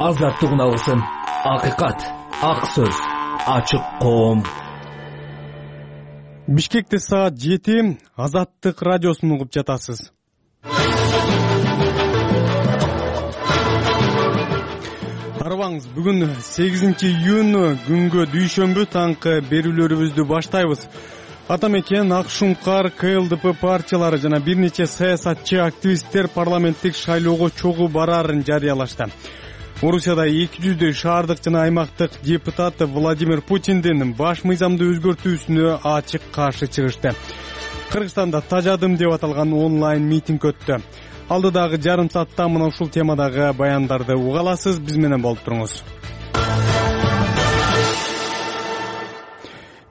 азаттык үналысын, акыйкат, ак сөз, ачык коом. Бишкекте саат 7 Азаттык радиосун угуп жатасыз. Арыбаңыз, бүгүн 8-июнь күнгө дүйшөмбү таңкы берүүлөрүбүздү баштайбыз. Атамекен, Ак Шуңкар, КЛДП партиялары жана бир нече саясатчы активисттер парламенттик шайлоого чогуу бараарын жарыялашты. Орусияда 200 шаардык жана аймактык депутат Владимир Путиндин баш мыйзамды өзгөртүүсүнө ачык каршы чыгышты. Кыргызстанда Тажадым деп аталган онлайн митинг өттү. Алдыдагы жарым саатта мына ушул темадагы баяндарды уга аласыз, биз менен болуп туруңуз.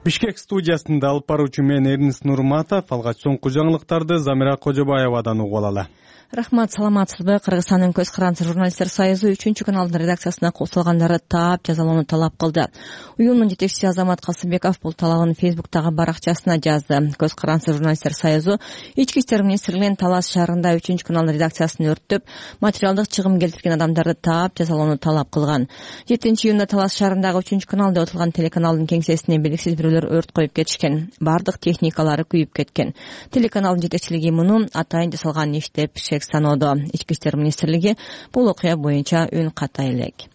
Бишкек студиясында алып баруучу мен Эрнис Нурматов, алгач соңку жаңылыктарды Замира Кожобаевадан угуп алалы. Рахмат, саламатсызбы? Кыргызстандын көз карандысы журналисттер союзу 3 каналдын редакциясына кошулгандарды таап жазалоону талап кылды. Уюмдун жетекчиси Азамат Касымбеков бул талабын Фейсбуктагы баракчасына жазды. Көз карандысы журналисттер союзу Ички иштер министрлигинин Талас шаарында 3 канал редакциясын өрттөп, материалдык чыгым келтирген адамдарды таап жазалоону талап кылган. 7-июнда Талас шаарындагы 3 канал деп аталган телеканалдын кеңсесине белгисиз бирөөлөр өрт коюп кетишкен. Бардык техникалары күйүп кеткен. Телеканалдын жетекчилиги муну атайын жасалган иш деп саноодо. Ички иштер министрлиги бул окуя боюнча үн ката элек.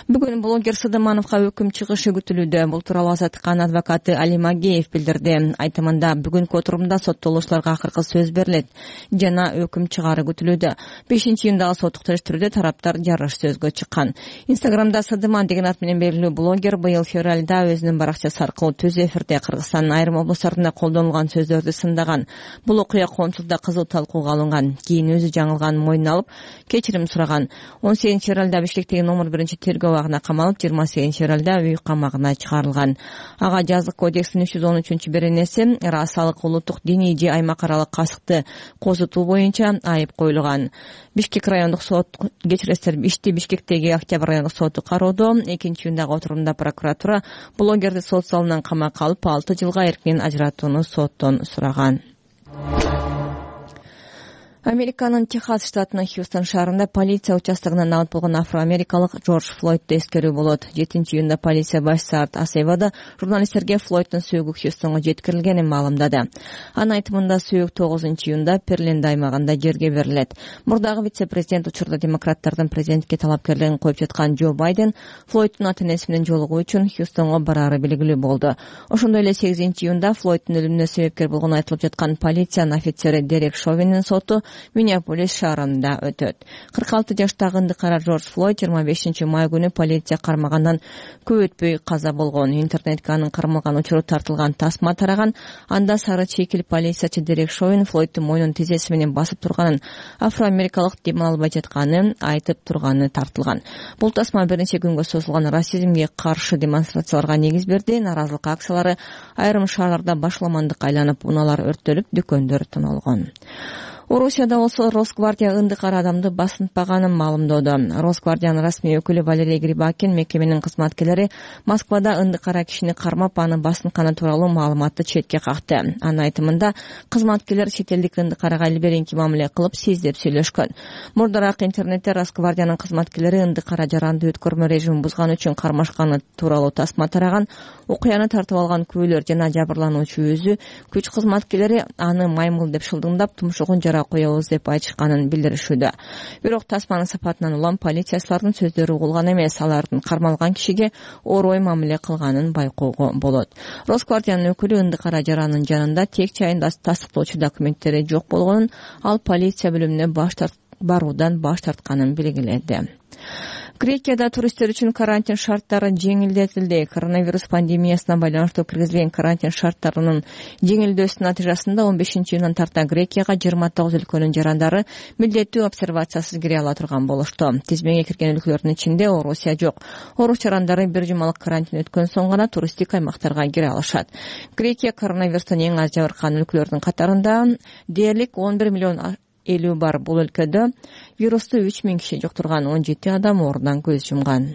Бүгүн блогер Сыдымановго өкүм чыгышы күтүлүүдө. Бул тууралуу Азаттыктын адвокаты Али Магеев билдирди. Айтымында бүгүнкү отурумда соттолуучуларга акыркы сөз берилет жана өкүм чыгаары күтүлүүдө. 5-июндагы соттук териштирүүдө тараптар жарыш сөзгө чыккан. Инстаграмда Сыдыман деген ат менен белгилүү блогер быйыл февралда өзүнүн баракчасы аркылуу түз эфирде Кыргызстандын айрым облустарында колдонулган сөздөрдү сындаган. Бул окуя коомчулукта кызуу талкууга алынган. Кийин өзү жаңылганын мойнуна алып, кечирим сураган. 18 февралда Бишкектеги номер 1 тергөө абагына камалып, 28 февралда үй камагына чыгарылган. Ага жазык кодекстин 313 беренеси расалык, улуттук, диний же аймак аралык касыкты козутуу боюнча айып коюлган. Бишкек райондук сот ишти Бишкектеги Октябрь райондук соту кароодо. 2-июндагы отурумда прокуратура блогерди сот залынан камакка алып 6 жылга эркинен ажыратууну соттон сураган. Американын Техас штатынын Хьюстон шаарында полиция участогунан алып болгон афроамерикалык Джордж Флойдду эскерүү болот. 7-июнда полиция башчысы Арт Асевада журналисттерге Флойддун сөөгү Хьюстонго жеткирилгенин маалымдады. Анын айтымында сөөк 9-июнда Перленд аймагында жерге берилет. Мурдагы вице-президент учурда демократтардын президентке талапкерлигин коюп жаткан Джо Байден Флойддун ата-энеси менен жолугуу үчүн Хьюстонго бараары белгилүү болду. Ошондой эле 8-июнда Флойддун өлүмүнө себепкер болгону айтылып жаткан полициянын офицери Дерек Шовинин соту Миннеаполис шаарында өтөт. 46 жаштагы ындыкара Джордж Флойд 25 май күнү полиция кармагандан көп өтпөй каза болгон. Интернетке анын кармалган учуру тартылган тасма тараган. Анда сары чекил полициячы Дерек Шовин Флойддун мойнун тизеси менен басып турганын, афроамерикалык дем албай жатканын айтып турганы тартылган. Бул тасма бир нече күнгө созулган расизмге каршы демонстрацияларга негиз берди. Наразылык акциялары айрым шаарларда башламандыкка айланып, унаалар өрттөлүп, дүкөндөр тоналгон. Орусияда болсо Росгвардия ындыкара адамды басынтпаганын маалымдоодо. Росгвардиянын расмий өкүлү Валерий Грибакин мекеменин кызматкерлери Москвада ындыкара кишини кармап, аны басынтканы тууралуу маалыматты четке какты. Анын айтымында кызматкерлер чет элдик ындыкарага илберинки мамиле кылып, сиз деп сүйлөшкөн. Мурдараак интернетте Росгвардиянын кызматкерлери ындыкара жаранды өткөрмө режимин бузган үчүн кармашканы тууралуу тасма тараган. Окуяны тартып алган күбөлөр жана жабырлануучу өзү күч кызматкерлери аны маймыл деп шылдыңдап, тумшугун жара коебуз деп айтышканын билдиришүүдө. Бирок тасманын сапатынан улам полициячылардын сөздөрү угулган эмес, алардын кармалган кишиге орой мамиле кылганын байкоого болот. Росгвардиянын өкүлү ындыкара жаранын жанында тек жайын тастыктоочу документтери жок болгонун, ал полиция бөлүмүнө баруудан баш тартканын белгиледи. Грекияда туристтер үчүн карантин шарттары жеңилдетилди. Коронавирус пандемиясына байланыштуу киргизилген карантин шарттарынын жеңилдөөсүнүн натыйжасында 15-июндан тарта Грекияга 29 өлкөнүн жарандары милдеттүү обсервациясыз кире ала турган болушту. Тизмеге кирген өлкөлөрдүн ичинде Орусия жок. Орус жарандары бир жумалык карантин өткөн соң гана туристтик аймактарга кире алышат. Грекия коронавирустан эң аз жабыркаган өлкөлөрдүн катарында. Дээрлик 11 миллион 50 бар. Бул өлкөдө вирусту 3000 киши жуктурган, 17 адам оорудан көз жумган.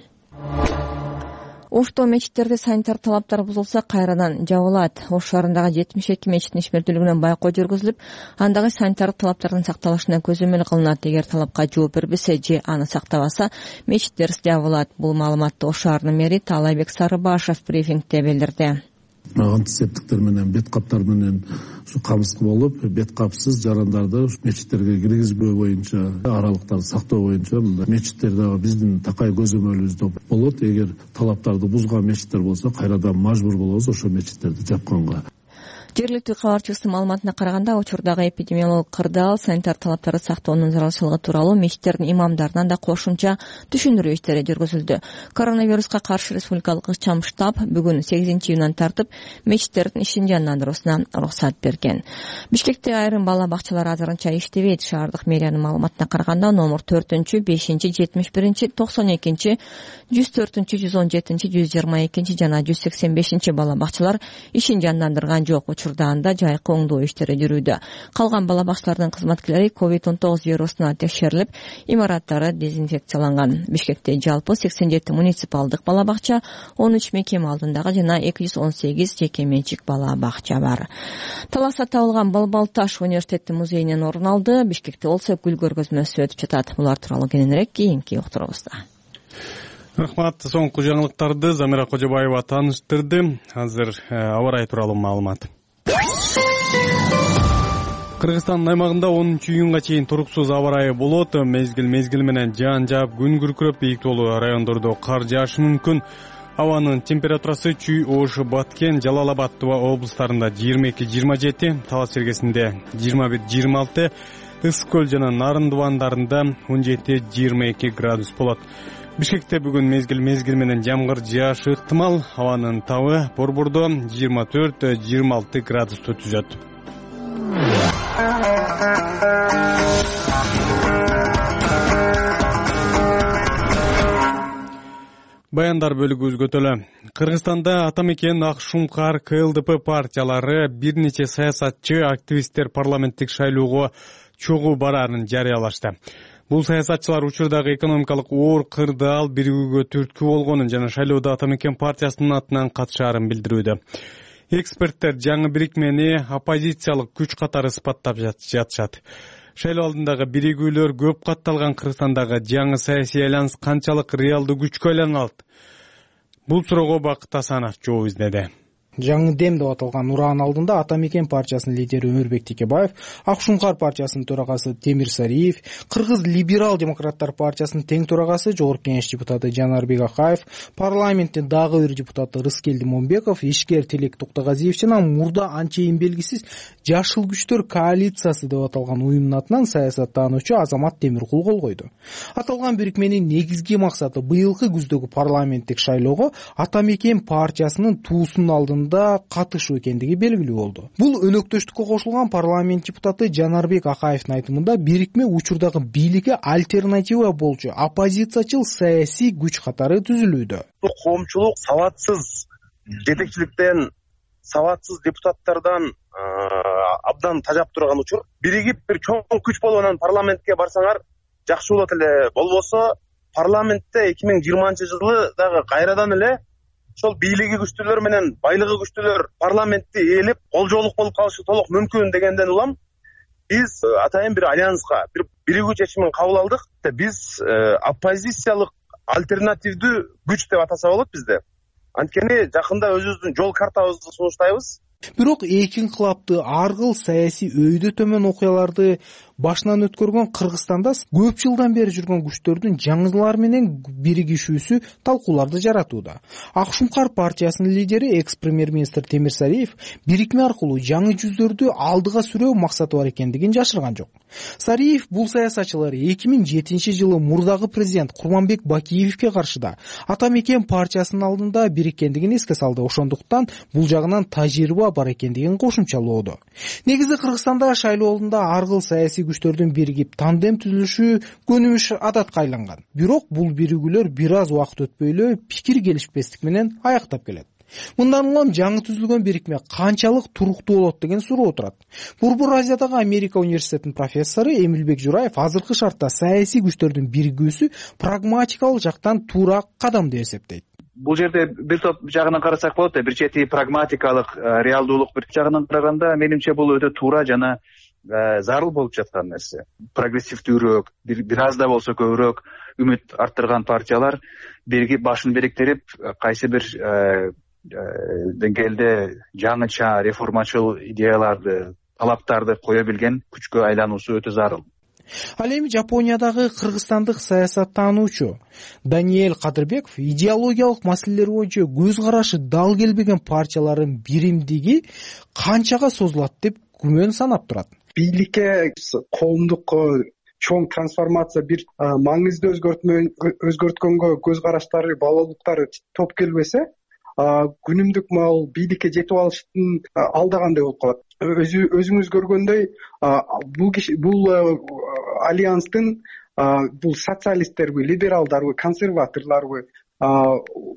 Ошто мечиттерде санитар талаптар бузулса кайрадан жабылат. Ош шаарындагы 72 мечиттин ишмердүүлүгүнө байкоо жүргүзүлүп, андагы санитар талаптардын сакталышына көзөмөл кылынат. Эгер талапка жооп бербесе же аны сактабаса, мечиттер жабылат. Бул маалыматты Ош шаарынын мэри Таалайбек Сарыбашев брифингде билдирди. Антисептиктер менен бет каптар менен камсыз болуп, бет капсыз жарандарды мечиттерге киргизбөө боюнча, аралыктарды сактоо боюнча мечиттердеги биздин такай көзөмөлүбүздө болот. Эгер талаптарды бузган мечиттер болсо, кайрадан мажбур болобуз ошо мечиттерди жапканга. Жергиликтүү кабарчыбыздын маалыматына караганда, учурдагы эпидемиологдук кырдаал, санитар талаптарды сактоонун зарылчылыгы тууралуу мечиттердин имамдарынан да кошумча түшүндүрүү иштери жүргүзүлдү. Коронавируска каршы республикалык ыкчам штаб бүгүн 8-июндан тартып мечиттердин ишин жандандыруусуна уруксат берген. Бишкекте айрым бала бакчалар азырынча иштебейт. Шаардык мэриянын маалыматына караганда, номер 4-5, 71, 92, 104, 117, 122 жана 185 бала бакчалар ишин жандандырган жок. Учурда анда жайкы оңдоо иштери жүрүүдө. Калган бала бакчалардын кызматкерлери COVID-19 вирусуна текшерилип, имараттары дезинфекцияланган. Бишкекте жалпы 87 муниципалдык бала бакча, 13 мекеме алдындагы жана 218 жеке менчик бала бакча бар. Таласа табылган Балбал таш университеттин музейинен орун алды. Бишкекте болсо гүл көргөзмөсү өтүп жатат. Булар тууралуу кененирээк кийинки уктуруубузда. Рахмат. Соңку жаңылыктарды Замира Кожобаева тааныштырды. Азыр аба ырайы тууралуу маалымат. Кыргызстандын аймагында 10-июнга чейин туруксуз аба ырайы болот. Мезгил менен жаан жаап, күн күркүрөп, бийиктүүлүү райондордо кар жаашы мүмкүн. Абанын температурасы Чүй, Ош, Баткен, Жалал Абад облустарында 22-27, Талас чергесинде 21-26, Ысык көл жана Нарын дубандарында 17-22 градус болот. Бишкекте бүгүн мезгил менен жамгыр жаашы ыктымал. Абанын табы борбордо 24-26 градусту түзөт. Баяндар бөлүгүбүзгө өтөлө. Кыргызстанда Атамекен, Ак Шумкар, КЛДП партиялары бир нече саясатчы, активисттер парламенттик шайлоого чогуу бараарын жарыялашты. Бул саясатчылар учурдагы экономикалык оор кырдаал биригүүгө түрткү болгонун жана шайлоодо Атамекен партиясынын атынан катышаарын билдирүүдө. Эксперттер жаңы бирикмени оппозициялык күч катары сыпаттап жатышат. Шайлоо алдындагы биригүүлөр көп катталган Кыргызстандагы жаңы саясий айланыс канчалык реалдуу күчкө айлана алат? Бул суроого Бакыт Асанов жооп издеди. Жаңы дем деп аталган ураан алдында Атамекен партиясынын лидери Өмүрбек Текебаев, Ак Шумкар партиясынын төрагасы Темир Сариев, Кыргыз либерал демократтар партиясынын тең төрагасы Жогорку Кеңеш депутаты Жанарбек Акаев, парламенттин дагы бир депутаты Рыскелди Момбеков, ишкер Тилек Токтогазиев жана мурда анчейин белгисиз Жашыл күчтөр коалициясы деп аталган уюмдун атынан саясаттануучу Азамат Темиркул кол койду. Аталган бирикменин негизги максаты быйылкы күздөгү парламенттик шайлоого Атамекен партиясынын туусунун алдында катышуу экендиги белгилүү болду. Бул өнөктөштүккө кошулган парламент депутаты Жанарбек Акаевдин айтымында бирикме учурдагы бийликке альтернатива болчу оппозициячыл саясий күч катары түзүлүүдө. Коомчулук сабатсыз жетекчиликтен, сабатсыз депутаттардан абдан тажап турган учур. Биригип бир чоң күч болуп анан парламентке барсаңар жакшы болот эле. Болбосо парламентте 2020-жылы дагы кайрадан эле ошол бийлиги күчтүүлөр менен байлыгы күчтүүлөр парламентти ээлеп колжоолук болуп калышы толук мүмкүн дегенден улам биз атайын бир альянска, бир биригүү чечимин кабыл алдык. Биз оппозициялык альтернативдүү күч деп атаса болот бизде. Анткени жакында өзүбүздүн жол картабызды сунуштайбыз. Бирок эки инкылапты ар кыл саясий өйдө төмөн окуяларды башынан өткөргөн Кыргызстанда көп жылдан бери жүргөн күчтөрдүн жаңылар менен биригишүүсү талкууларды жаратууда. Ак Шумкар партиясынын лидери экс-премьер-министр Темир Сариев бирикме аркылуу жаңы жүздөрдү алдыга сүрөө максаты бар экендигин жашырган жок. Сариев бул саясатчылар 2007-жылы мурдагы президент Курманбек Бакиевке каршы да Атамекен партиясынын алдында бириккендигин эске салды. Ошондуктан бул жагынан тажрыйба бар экендигин кошумчалоодо. Негизи Кыргызстанда шайлоо алдында ар кыл саясий күчтөрдүн биригип тандем түзүлүшү көнүмүш адатка айланган. Бирок бул биригүүлөр бир аз убакыт өтпөй эле пикир келишпестик менен аяктап келет. Мындан улам жаңы түзүлгөн бирикме канчалык туруктуу болот деген суроо турат. Борбор Азиядагы Америка университетинин профессору Эмилбек Жураев азыркы шартта саясий күчтөрдүн биригүүсү прагматикалык жактан туура кадам деп эсептейт. бул жерде бир топ жагынан карасак болот да, бир чети прагматикалык, реалдуулук, бир жагынан караганда менимче бул өтө туура жана зарыл болуп жаткан нерсе. Прогрессивдүүрөөк, бир аз да болсо көбүрөөк үмүт арттырган партиялар биригип башын бириктирип, кайсы бир деңгээлде жаңыча реформачыл идеяларды, талаптарды кое билген күчкө айлануусу өтө зарыл. Ал эми Жапониядагы кыргызстандык саясаттануучу Даниэль Кадырбеков идеологиялык маселелер боюнча көз карашы дал келбеген партиялардын биримдиги канчага созулат деп күмөн санап турат. Бийликке коомдук чоң трансформация, бир маңызды өзгөрткөнгө көз караштары, балалыктары топ келбесе, күнүмдүк мал бийликке жетип алыштын алдагандай болуп калат. Өзүңүз көргөндөй, бул альянстын бул социалисттерби, либералдарбы, консерваторлорбу,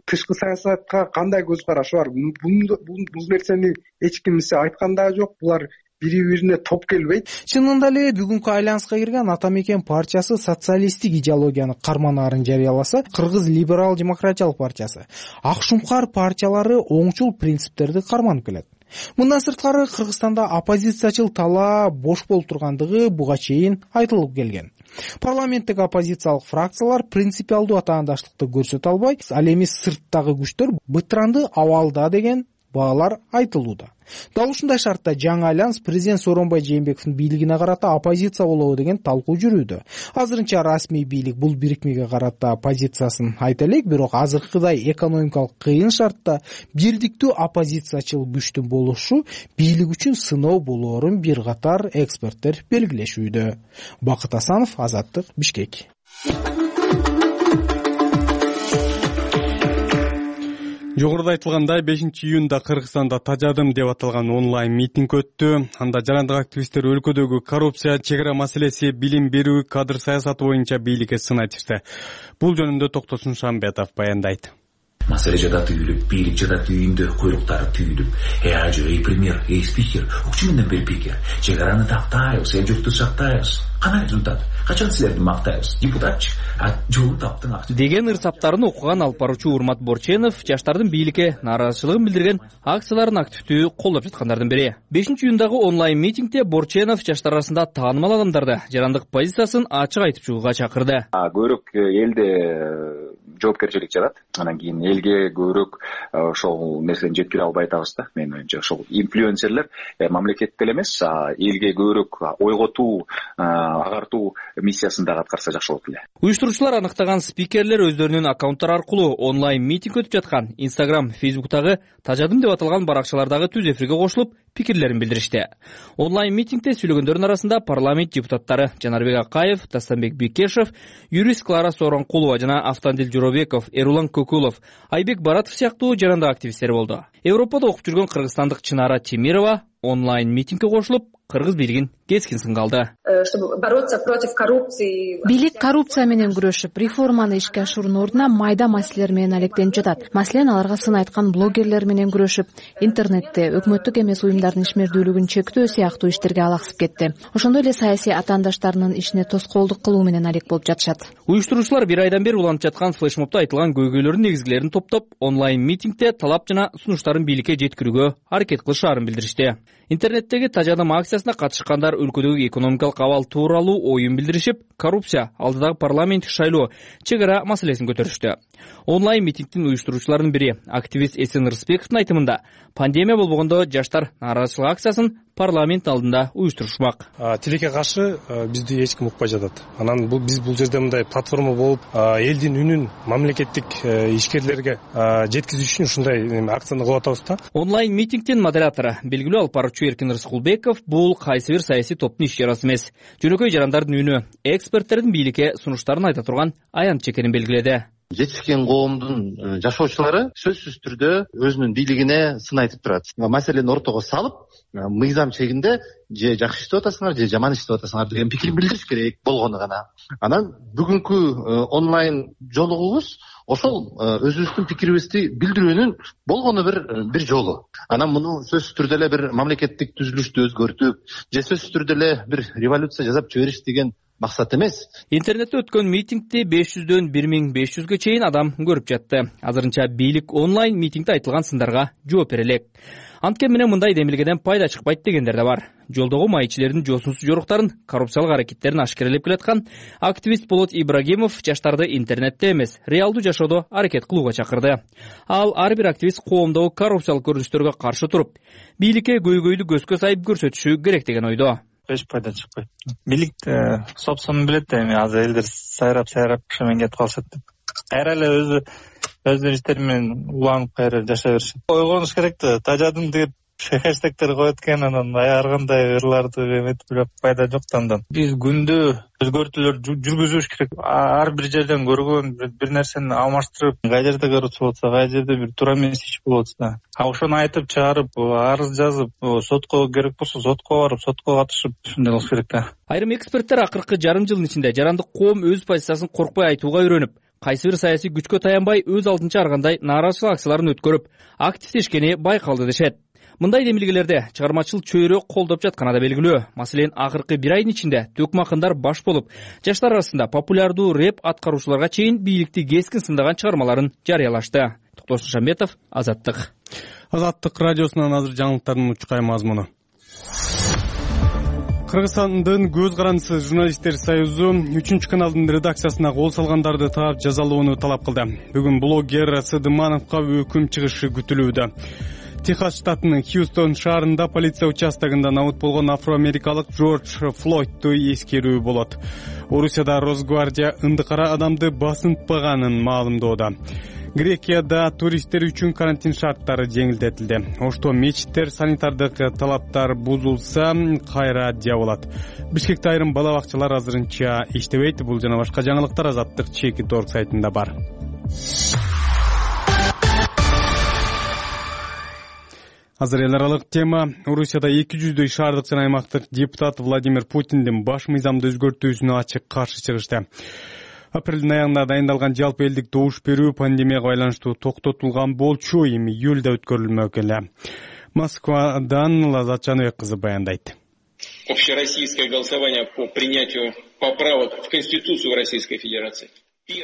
тышкы саясатка кандай көз карашы бар? Бул нерсени эч кимсе айткан да жок. Булар бири-бирине топ келбейт. Чынында эле бүгүнкү альянска кирген Ата Мекен партиясы социалисттик идеологияны карманаарын жарыяласа, Кыргыз либерал демократиялык партиясы, Ак Шуңкар партиялары оңчул принциптерди карманып келет. Мындан сырткары Кыргызстанда оппозициячыл талаа бош болуп тургандыгы буга чейин айтылып келген. Парламенттик оппозициялык фракциялар принципиалдуу атаандаштыкты көрсөтө албай, ал эми сырттагы күчтөр бытыранды абалда деген баалар айтылууда. Дал ушундай шартта жаңы альянс президент Сооронбай Жээнбековдун бийлигине карата оппозиция болобу деген талкуу жүрүүдө. Азырынча расмий бийлик бул бирикмеге карата позициясын айта элек, бирок азыркыдай экономикалык кыйын шартта бирдиктүү оппозициячыл күчтүн болушу бийлик үчүн сыноо болоорун бир катар эксперттер белгилешүүдө. Бакыт Асанов, Азаттык, Бишкек. Жогоруда айтылгандай 5-июнда Кыргызстанда Тажадым деп аталган онлайн митинг өттү. Анда жарандык активисттер өлкөдөгү коррупция, чек ара маселеси, билим берүү, кадр саясаты боюнча бийликке сын айтышты. Бул жөнүндө Токтосун Шамбетов баяндайт. Маселе жада түйүлүп, бийлик жада түйүндө, куйруктары түйүлүп. Ажы, премьер, спикер, укчу менен бир пикер. Чек араны тактайбыз, эл журтту сактайбыз. Кандай результат? Качан силерди мактайбыз? Депутатчы, жолун таптың акча. Деген ырсаптарын окуган алып баруучу Урмат Борченов жаштардын бийликке нааразычылыгын билдирген акцияларын активдүү колдоп жаткандардын бири. 5-июндагы онлайн митингде Борченов жаштар арасында таанымал адамдарды жарандык позициясын ачык айтып чыгууга чакырды. Көбүрөөк элде жоопкерчилик жарат. Анан кийин элге көбүрөөк ошол нерсени жеткире албай атабыз да. Мен оюмча ошол инфлюенсерлер мамлекетте эле эмес, элге көбүрөөк ойготуу, агартуу миссиясын дагы аткарса жакшы болот эле. Уюштуруучулар аныктаган спикерлер өздөрүнүн аккаунттары аркылуу онлайн митинг өтүп жаткан Instagram, Facebook'тагы Тажадым деп аталган баракчалардагы түз эфирге кошулуп, пикирлерин билдиришти. Онлайн митингде сүйлөгөндөрдүн арасында парламент депутаттары Жанарбек Акаев, Тастанбек Бекешев, юрист Клара Сооронкулова жана Автандил Жоробеков, Эрулан Көкүлов, Айбек Баратов сыяктуу жарандык активисттер болду. Европада окуп жүргөн кыргызстандык Чынара Темирова онлайн митингге кошулуп, кыргыз бийлигин кескин сынга алды. Чтобы бороться против коррупции. Бийлик коррупция менен күрөшүп, реформаны ишке ашыруунун ордуна майда маселелер менен алектенип жатат. Маселен, аларга сын айткан блогерлер менен күрөшүп, интернетте өкмөттүк эмес уюмдардын ишмердүүлүгүн чектөө сыяктуу иштерге алаксып кетти. Ошондой эле саясий атаандаштарынын ишине тоскоолдук кылуу менен алек болуп жатышат. Уюштуруучулар бир айдан бери уланып жаткан флешмобдо айтылган көйгөйлөрдүн негизгилерин топтоп, онлайн митингде талап жана сунуштарын бийликке жеткирүүгө аракет кылышаарын билдиришти. Интернеттеги Тажадым акциясына катышкандар өлкөдөгү экономикалык абал тууралуу оюн билдиришип, коррупция, алдыдагы парламенттик шайлоо, чек ара маселесин көтөрүштү. Онлайн митингдин уюштуруучуларынын бири, активист Эсен Рысбековдун айтымында, пандемия болбогондо жаштар нааразычылык акциясын парламент алдында уюштурушмак. Тилекке каршы бизди эч ким укпай жатат. Анан биз бул жерде мындай платформа болуп, элдин үнүн мамлекеттик ишкерлерге жеткизүү үчүн ушундай акцияны кылып атабыз да. Онлайн митингдин модератору, белгилүү алып баруучу Эркин Рыскулбеков, бул кайсы бир саясий топтун иш чарасы эмес. Жөнөкөй жарандардын үнү, эксперттердин бийликке сунуштарын айта турган аянтчы экенин белгиледи. Жетишкен коомдун жашоочулары сөзсүз түрдө өзүнүн бийлигине сын айтып турат. Маселени ортого салып, мыйзам чегинде же жакшы иштеп атасыңар, же жаман иштеп атасыңар деген пикир билдириш керек болгону гана. Анан бүгүнкү онлайн жолугубуз ошол өзүбүздүн пикирибизди билдирүүнүн болгону бир жолу. Анан муну сөзсүз түрдө эле бир мамлекеттик түзүлүштү өзгөртүп, же сөзсүз түрдө эле бир революция жасап жибериш деген максат эмес. Интернетте өткөн митингди 500дөн 1500гө чейин адам көрүп жатты. Азырынча бийлик онлайн митингде айтылган сындарга жооп бере элек. Анткени менен мындай демилгеден пайда чыкпайт дегендер да бар. Жолдогу маекчилердин жосунсуз жоруктарын, коррупциялык аракеттерин ашкерелеп келаткан активист Болот Ибрагимов жаштарды интернетте эмес, реалдуу жашоодо аракет кылууга чакырды. Ал ар бир активист коомдогу коррупциялык көрүнүштөргө каршы туруп, бийликке көйгөйдү көзгө сайып көрсөтүшү керек деген ойдо. Эч пайда чыкпайт. Бийлик собственно билет эми азыр элдер сайрап ошомен кетип калышат деп. Кайра эле өздөрүнүн иштери менен уланып кайра жашай беришет. Ойгонуш керек да, тажадым деп хэштегтер коет экен, анан ар кандай ырларды эметип бирок пайда жок да андан. Биз күндө өзгөртүүлөр жүргүзүш керек. Ар бир жерден көргөн бир нерсени алмаштырып, кай жерде коррупция болсо, кай жерде бир туура эмес иш болуп атса, ошону айтып чыгарып, арыз жазып, сотко керек болсо сотко барып, сотко катышып, ушундай болуш керек да. Айрым эксперттер акыркы жарым жылдын ичинде жарандык коом өз позициясын коркпой айтууга үйрөнүп, кайсы бир саясий күчкө таянбай өз алдынча ар кандай нааразычылык акцияларын өткөрүп, активдешкени байкалды дешет. Мындай демилгелерде чыгармачыл чөйрө колдоп жатканы да белгилүү. Маселен, акыркы бир айдын ичинде төкмө акындар баш болуп, жаштар арасында популярдуу рэп аткаруучуларга чейин бийликти кескин сындаган чыгармаларын жарыялашты. Токтош Шамбетов, Азаттык. Азаттык радиосунан азыр жаңылыктардын учкай мазмуну. Кыргызстандын Көз карандысы журналисттер союзу 3-каналдын редакциясына кол салгандарды таап жазалоону талап кылды. Бүгүн блогер Сыдымановго өкүм чыгышы күтүлүүдө. Техас штатынын Хьюстон шаарында полиция участогунда набыт болгон афроамерикалык Джордж Флойдду эскерүү болот. Орусияда Росгвардия ындыкара адамды басынтпаганын маалымдоодо. Грекияда туристтер үчүн карантин шарттары жеңилдетилди. Ошто мечиттер санитардык талаптар бузулса кайра жабылат. Бишкекте айрым бала бакчалар азырынча иштебейт. Бул жана башка жаңылыктар Азаттык Чеки.org сайтында бар. Азыр эл аралык тема. Орусияда 200дөй шаардык жана аймактык депутат Владимир Путиндин баш мыйзамды өзгөртүүсүнө ачык каршы чыгышты. Апрелдин аягында дайындалган жалпы элдик добуш берүү пандемияга байланыштуу токтотулган болчу, эми июлда өткөрүлмөк эле. Москвадан Лазат Жаныбек кызы баяндайт. Общероссийское голосование по принятию поправок в Конституцию Российской Федерации.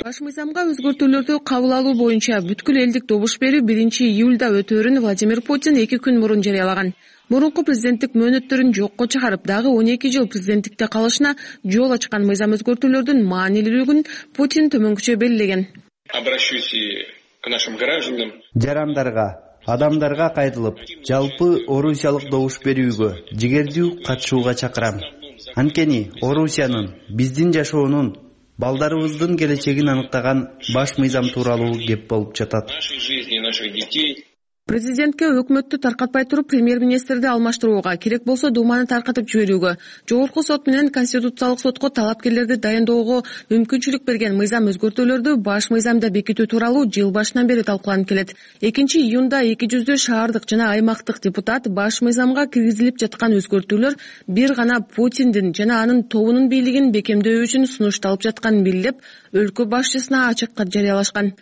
Баш мыйзамга өзгөртүүлөрдү кабыл алуу боюнча бүткүл элдик добуш берүү 1-июлда өтөөрүн Владимир Путин 2 күн мурун жарыялаган. Мурунку президенттик мөөнөттөрүн жокко чыгарып, дагы 12 жыл президенттикте калышына жол ачкан мыйзам өзгөртүүлөрдүн маанилүүлүгүн Путин төмөнкүчө белгилеген. Обращусь к нашим гражданам. Жарандарга, адамдарга кайтылып, жалпы орусиялык добуш берүүгө жигердүү катышууга чакырам. Анткени Орусиянын, биздин жашоонун, балдарыбыздын келечегин аныктаган баш мыйзам тууралуу кеп болуп жатат. Президентке өкмөттү таркатпай туруп премьер-министрди алмаштырууга, керек болсо Думаны таркатып жиберүүгө, Жогорку сот менен Конституциялык сотко талапкерлерди дайындоого мүмкүнчүлүк берген мыйзам өзгөртүүлөрдү баш мыйзамда бекитүү тууралуу жыл башынан бери талкууланып келет. 2-июнда 200 шаардык жана аймактык депутат баш мыйзамга киргизилип жаткан өзгөртүүлөр бир гана Путиндин жана анын тобунун бийлигин бекемдөө үчүн сунушталып жатканын билдирип, өлкө башчысына ачык кат жарыялашкан.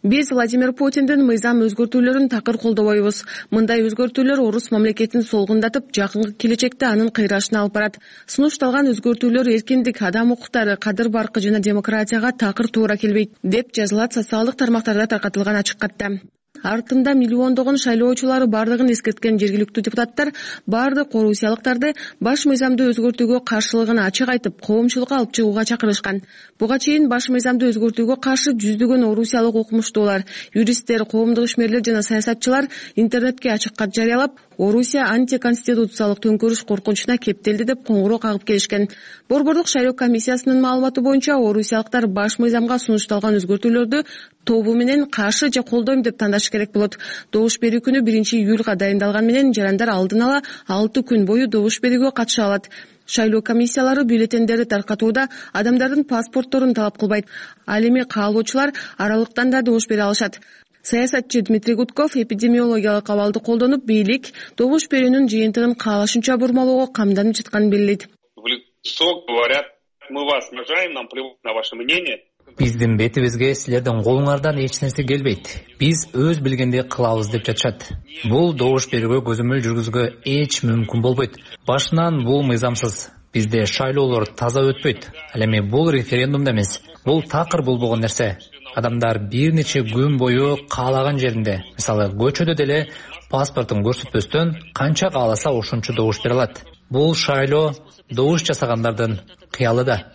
Биз Владимир Путиндин мыйзам өзгөртүүлөрүн такыр колдобойбуз. Мындай өзгөртүүлөр орус мамлекетин солгундатып, жакынкы келечекте анын кыйрашына алып барат. Сунушталган өзгөртүүлөр эркиндик, адам укуктары, кадыр баркы жана демократияга такыр туура келбейт, деп жазылат социалдык тармактарда таркатылган ачык катта. Артында миллиондогон шайлоочулары бардыгын эскерткен жергиликтүү депутаттар бардык орусиялыктарды баш мыйзамды өзгөртүүгө каршылыгын ачык айтып, коомчулукка алып чыгууга чакырышкан. Буга чейин баш мыйзамды өзгөртүүгө каршы жүздөгөн орусиялык окумуштуулар, юристтер, коомдук ишмерлер жана саясатчылар интернетке ачык кат жарыялап, Орусия антиконституциялык төңкөрүш коркунучуна кептелди деп коңгуроо кагып келишкен. Борборлук шайлоо комиссиясынын маалыматы боюнча орусиялыктар баш мыйзамга сунушталган өзгөртүүлөрдү тобу менен каршы же колдойм деп тандаш керек болот. Добуш берүү күнү 1-июлга дайындалган менен жарандар алдын ала 6 күн бою добуш берүүгө катыша алат. Шайлоо комиссиялары бюллетендерди таркатууда адамдардын паспортторун талап кылбайт. Ал эми каалоочулар аралыктан да добуш бере алышат. Саясатчы Дмитрий Гудков эпидемиологиялык абалды колдонуп, бийлик добуш берүүнүн жыйынтыгын каалашынча бурмалоого камданып жатканын белгилейт. В лицо говорят: мы вас уважаем, нам плевать на ваше мнение. Биздин бетибизге силердин колуңардан эч нерсе келбейт. Биз өз билгенди кылабыз деп жатышат. Бул добуш берүүгө көзөмөл жүргүзүүгө эч мүмкүн болбойт. Башынан бул мыйзамсыз. Бизде шайлоолор таза өтпөйт. Ал эми бул референдум да эмес. Бул такыр болбогон нерсе. Адамдар бир нече күн бою каалаган жеринде, мисалы көчөдө деле паспортун көрсөтпөстөн канча кааласа ошончо добуш бере алат. Бул шайлоо добуш жасагандардын кыялы да.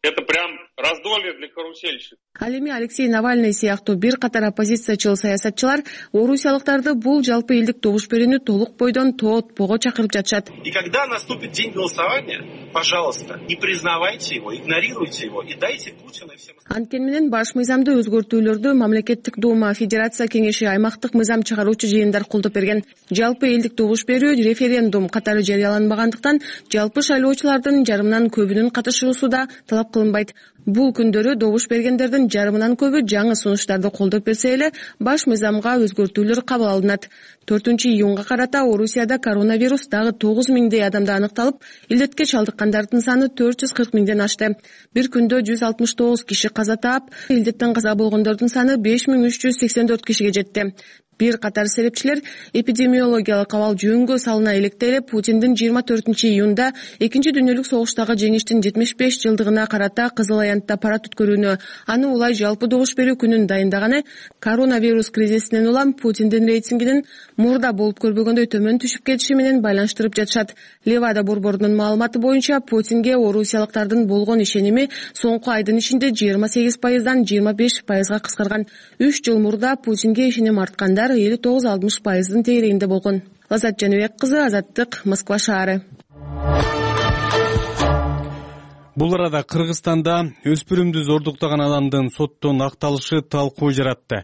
Это прям раздолье для карусельщиков. Ал эми Алексей Навальный сыяктуу бир катар оппозициячыл саясатчылар орусиялыктарды бул жалпы элдик добуш берүүнү толук бойдон тоотпого чакырып жатышат. И когда наступит день голосования, пожалуйста, не признавайте его, игнорируйте его и дайте Путину и всем. Анткени менен баш мыйзамды өзгөртүүлөрдү мамлекеттик дума, Федерация кеңеши, аймактык мыйзам чыгаруучу жыйындар колдоп берген. Жалпы элдик добуш берүү референдум катары жарыяланбагандыктан жалпы шайлоочулардын жарымынан көбүнүн катышуусу да талап кылынбайт. Бул күндөрү добуш бергендердин жарымынан көбү жаңы сунуштарды колдоп берсе эле баш мыйзамга өзгөртүүлөр кабыл алынат. 4-июнга карата Орусияда коронавирус дагы 9 миңдей адамда аныкталып, илдетке чалдыккандардын саны 440 миңден ашты. Бир күндө 169 киши каза таап, илдеттен каза болгондордун саны 5384 кишиге жетти. Бир катар серепчилер эпидемиологиялык абал жөнгө салына электе эле Путиндин 24-июнда Экинчи дүйнөлүк согуштагы жеңиштин 75 жылдыгына карата Кызыл аянтта парад өткөрүүнү, аны улай жалпы добуш берүү күнүн дайындаганы, коронавирус кризисинен улам Путиндин рейтингинин мурда болуп көрбөгөндөй төмөн түшүп кетиши менен байланыштырып жатышат. Левада борборунун маалыматы боюнча Путинге орусиялыктардын болгон ишеними соңку айдын ичинде 28%дан 25%га кыскарган. 3 жыл мурда Путинге ишеним арткандар 59-60%дын тегерегинде болгон. Лазат Жаныбек кызы, Азаттык, Москва шаары. Бул арада Кыргызстанда өспүрүмдү зордуктаган адамдын соттон акталышы талкуу жаратты.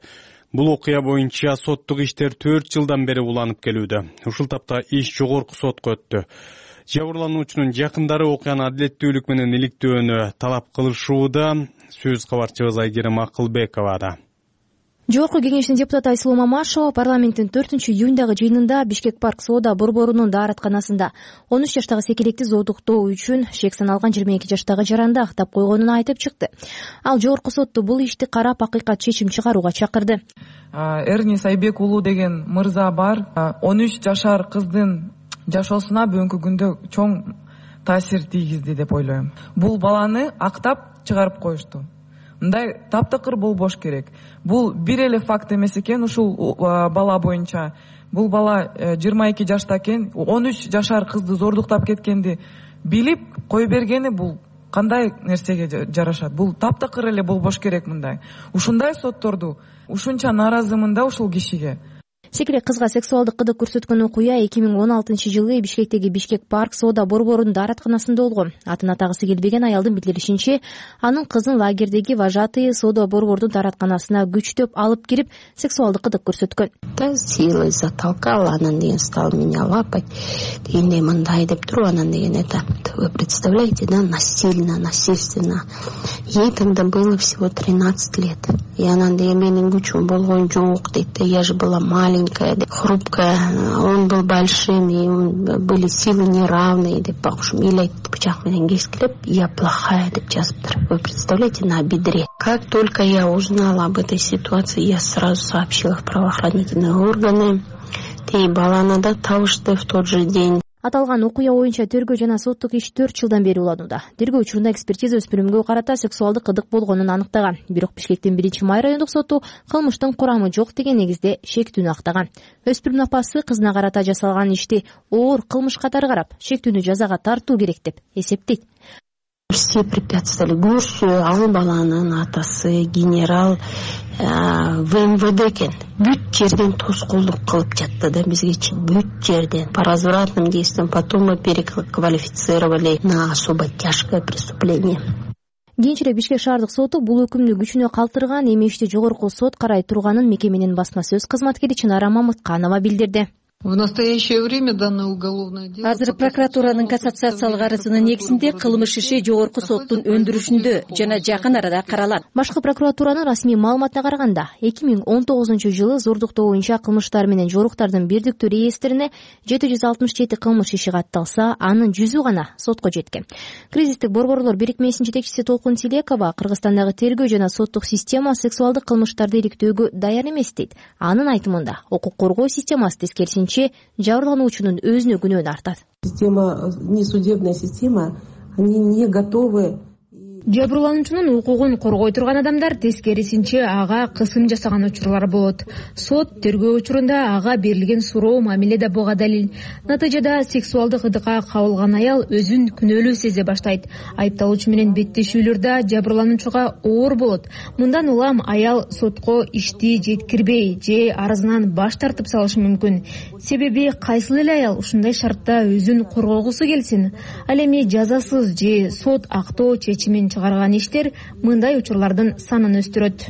Бул окуя боюнча соттук иштер 4 жылдан бери уланып келүүдө. Ушул тапта иш жогорку сотко өттү. Жабырлануучунун жакындары окуяны адилеттүүлүк менен иликтөөнү талап кылышууда. Сөз кабарчыбыз Айгерим Акылбековада. Жогорку кеңештин депутаты Айсулуу Мамашева парламенттин 4-июндагы жыйынында Бишкек парк соода борборунун дааратканасында 13 жаштагы секилекти зордуктоо үчүн шек саналган 22 жаштагы жаранды актап койгонун айтып чыкты. Ал жогорку сотту бул ишти карап акыйкат чечим чыгарууга чакырды. Эрни Сайбек уулу деген мырза бар. 13 жашар кыздын жашоосуна бүгүнкү күндө чоң таасир тийгизди деп ойлойм. Бул баланы актап чыгарып коюшту. Мындай таптакыр болбош керек. Бул бир эле факт эмес экен. Ушул бала боюнча бул бала 22 жашта экен, 13 жашар кызды зордуктап кеткенди билип кой бергени бул кандай нерсеге жарашат? Бул таптакыр эле болбош керек мындай. Ушундай сотторду ушунча нааразымын да ушул кишиге. Секирек кызга сексуалдык кыдык көрсөткөн окуя 2016-жылы Бишкектеги Бишкек парк соода борборунун дааратканасында болгон. Атын атагысы келбеген аялдын билдиришинче, анын кызын лагердеги вожатые соода борбордун дааратканасына күчтөп алып кирип, сексуалдык кыдык көрсөткөн. Да силой затолкала, анан деген стал меня лапать. Дегендей мындай деп туруп, анан деген это, вы представляете, да, насильственно. Ей тогда было всего 13 лет. И анан деген менин күчүм болгон жок дейт. Я же была маленькая, хрупкая, он был большим, и были силы неравные, деп бакушум эле бычак менен кескилеп, я плохая деп жазыптыр. Вы представляете, на бедре. Как только я узнала об этой ситуации, я сразу сообщила в правоохранительные органы. Тей баланы да табышты в тот же день. Аталган окуя боюнча тергөө жана соттук иш 4 жылдан бери уланууда. Тергөө учурунда экспертиза өспүрүмгө карата сексуалдык кыдык болгонун аныктаган. Бирок Бишкектин 1-май райондук соту кылмыштын курамы жок деген негизде шектүүнү актаган. Өспүрүм апасы кызына карата жасалган ишти оор кылмыш катары карап, шектүүнү жазага тартуу керек деп эсептейт. Все препятствовали. Көрші, ал баланын атасы, генерал в МВД экен. Бүт жерден тоскоолдук кылып жатты да бизге, бүт жерден. По развратным действиям, потом мы переквалифицировали на особо тяжкое преступление. Кийинчерээк Бишкек шаардык соту бул өкүмдү күчүнө калтырган, эми ишти жогорку сот карай турганын мекеменин басма сөз кызматкери Чынара Мамытканова билдирди. В настоящее время данное уголовное дело... Азыр прокуратуранын кассациялык арызынын негизинде кылмыш иши жогорку соттун өндүрүшүндө жана жакын арада каралат. Башкы прокуратуранын расмий маалыматына караганда, 2019-жылы зордуктоо боюнча кылмыштар менен жоруктардын бирдиктүү реестрине 767 кылмыш иши катталса, анын 100 гана сотко жеткен. Кризистик борборлор бирикмесинин жетекчиси Толкун Тилекова Кыргызстандагы тергөө жана соттук система сексуалдык кылмыштарды иликтөөгө даяр эмес дейт. Анын айтымында, укук коргоо системасы тескерисинче жабырлануучунун өзүнө күнөөнү артат. Система, несудебная система они не готовы. Жабырлануучунун укугун коргой турган адамдар тескерисинче ага кысым жасаган учурлар болот. Сот тергөө учурунда ага берилген суроо мамиле да буга далил. Натыйжада сексуалдык ыдыкка кабылган аял өзүн күнөөлүү сезе баштайт. Айыпталуучу менен беттешүүлөрдө жабырлануучуга оор болот. Мындан улам аял сотко ишти жеткирбей же арызынан баш тартып салышы мүмкүн. Себеби кайсыл эле аял ушундай шартта өзүн коргогусу келсин. Ал эми жазасыз же сот актоо чечимин чыгарган иштер мындай учурлардын санын өстүрөт.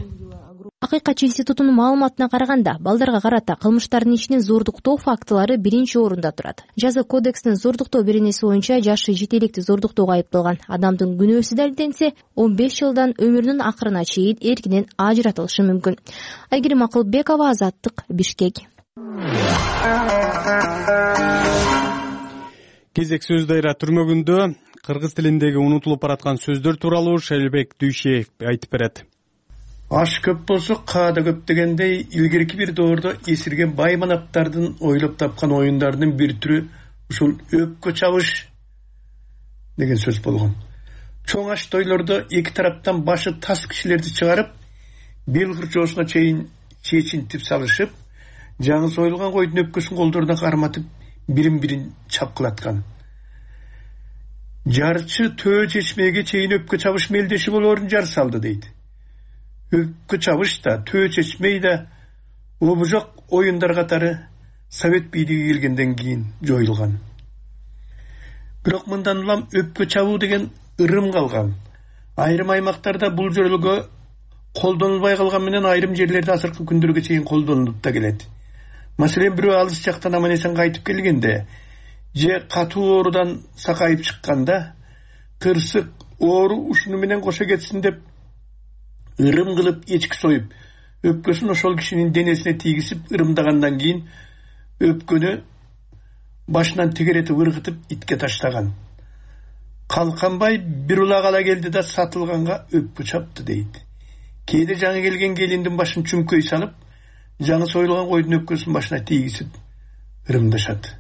Акыйкатчы институтунун маалыматына караганда, балдарга карата кылмыштардын ичинин зордуктоо фактылары биринчи орунда турат. Жаза кодексинин зордуктоо беренеси боюнча жашы жетеликти зордуктоого айыпталган адамдын күнөөсү далилденсе, 15 жылдан өмүрүнүн акырына чейин эркинен ажыратылышы мүмкүн. Айгерим Акылбекова, Азаттык, Бишкек. Кезек сөз дайра түрмөгүндө кыргыз тилиндеги унутулуп бараткан сөздөр тууралуу Шайлбек Дүйшеев айтып берет. Аш көп болсо каада көп дегендей, илгерки бир доордо эсирген бай манаптардын ойлоп тапкан оюндарынын бир түрү ушул өпкө чабыш деген сөз болгон. Чоң аш тойлордо эки тараптан башы тас кишилерди чыгарып, бел кырчоосуна чейин чечинтип салышып, жаңы союлган койдун өпкөсүн колдоруна карматып, бирин-бирин чапкылаткан. Жарчы төө чечмеге чейин өпкө чабыш мелдеши болоорун жар салды дейт. Өпкө чабыш да, төө чечмей да обужок оюндар катары Совет бийлиги келгенден кийин жоюлган. Бирок мындан улам өпкө чабуу деген ырым калган. Айрым аймактарда бул жөрөлгө колдонулбай калган менен айрым жерлерде азыркы күндөргө чейин колдонулуп да келет. Маселен, бирөө алыс жактан аман-эсен кайтып келгенде же катуу оорудан сакайып чыкканда, кырсык оору ушуну менен кошо кетсин деп ырым кылып эчки союп, өпкөсүн ошол кишинин денесине тийгизип ырымдагандан кийин өпкөнү башынан тегеретип ыргытып итке таштаган. Калканбай бир улак ала келди да сатылганга өпкө чапты дейт. Кээде жаңы келген келиндин башын чүмкөй салып, жаңы союлган койдун өпкөсүн башына тийгизип ырымдашат.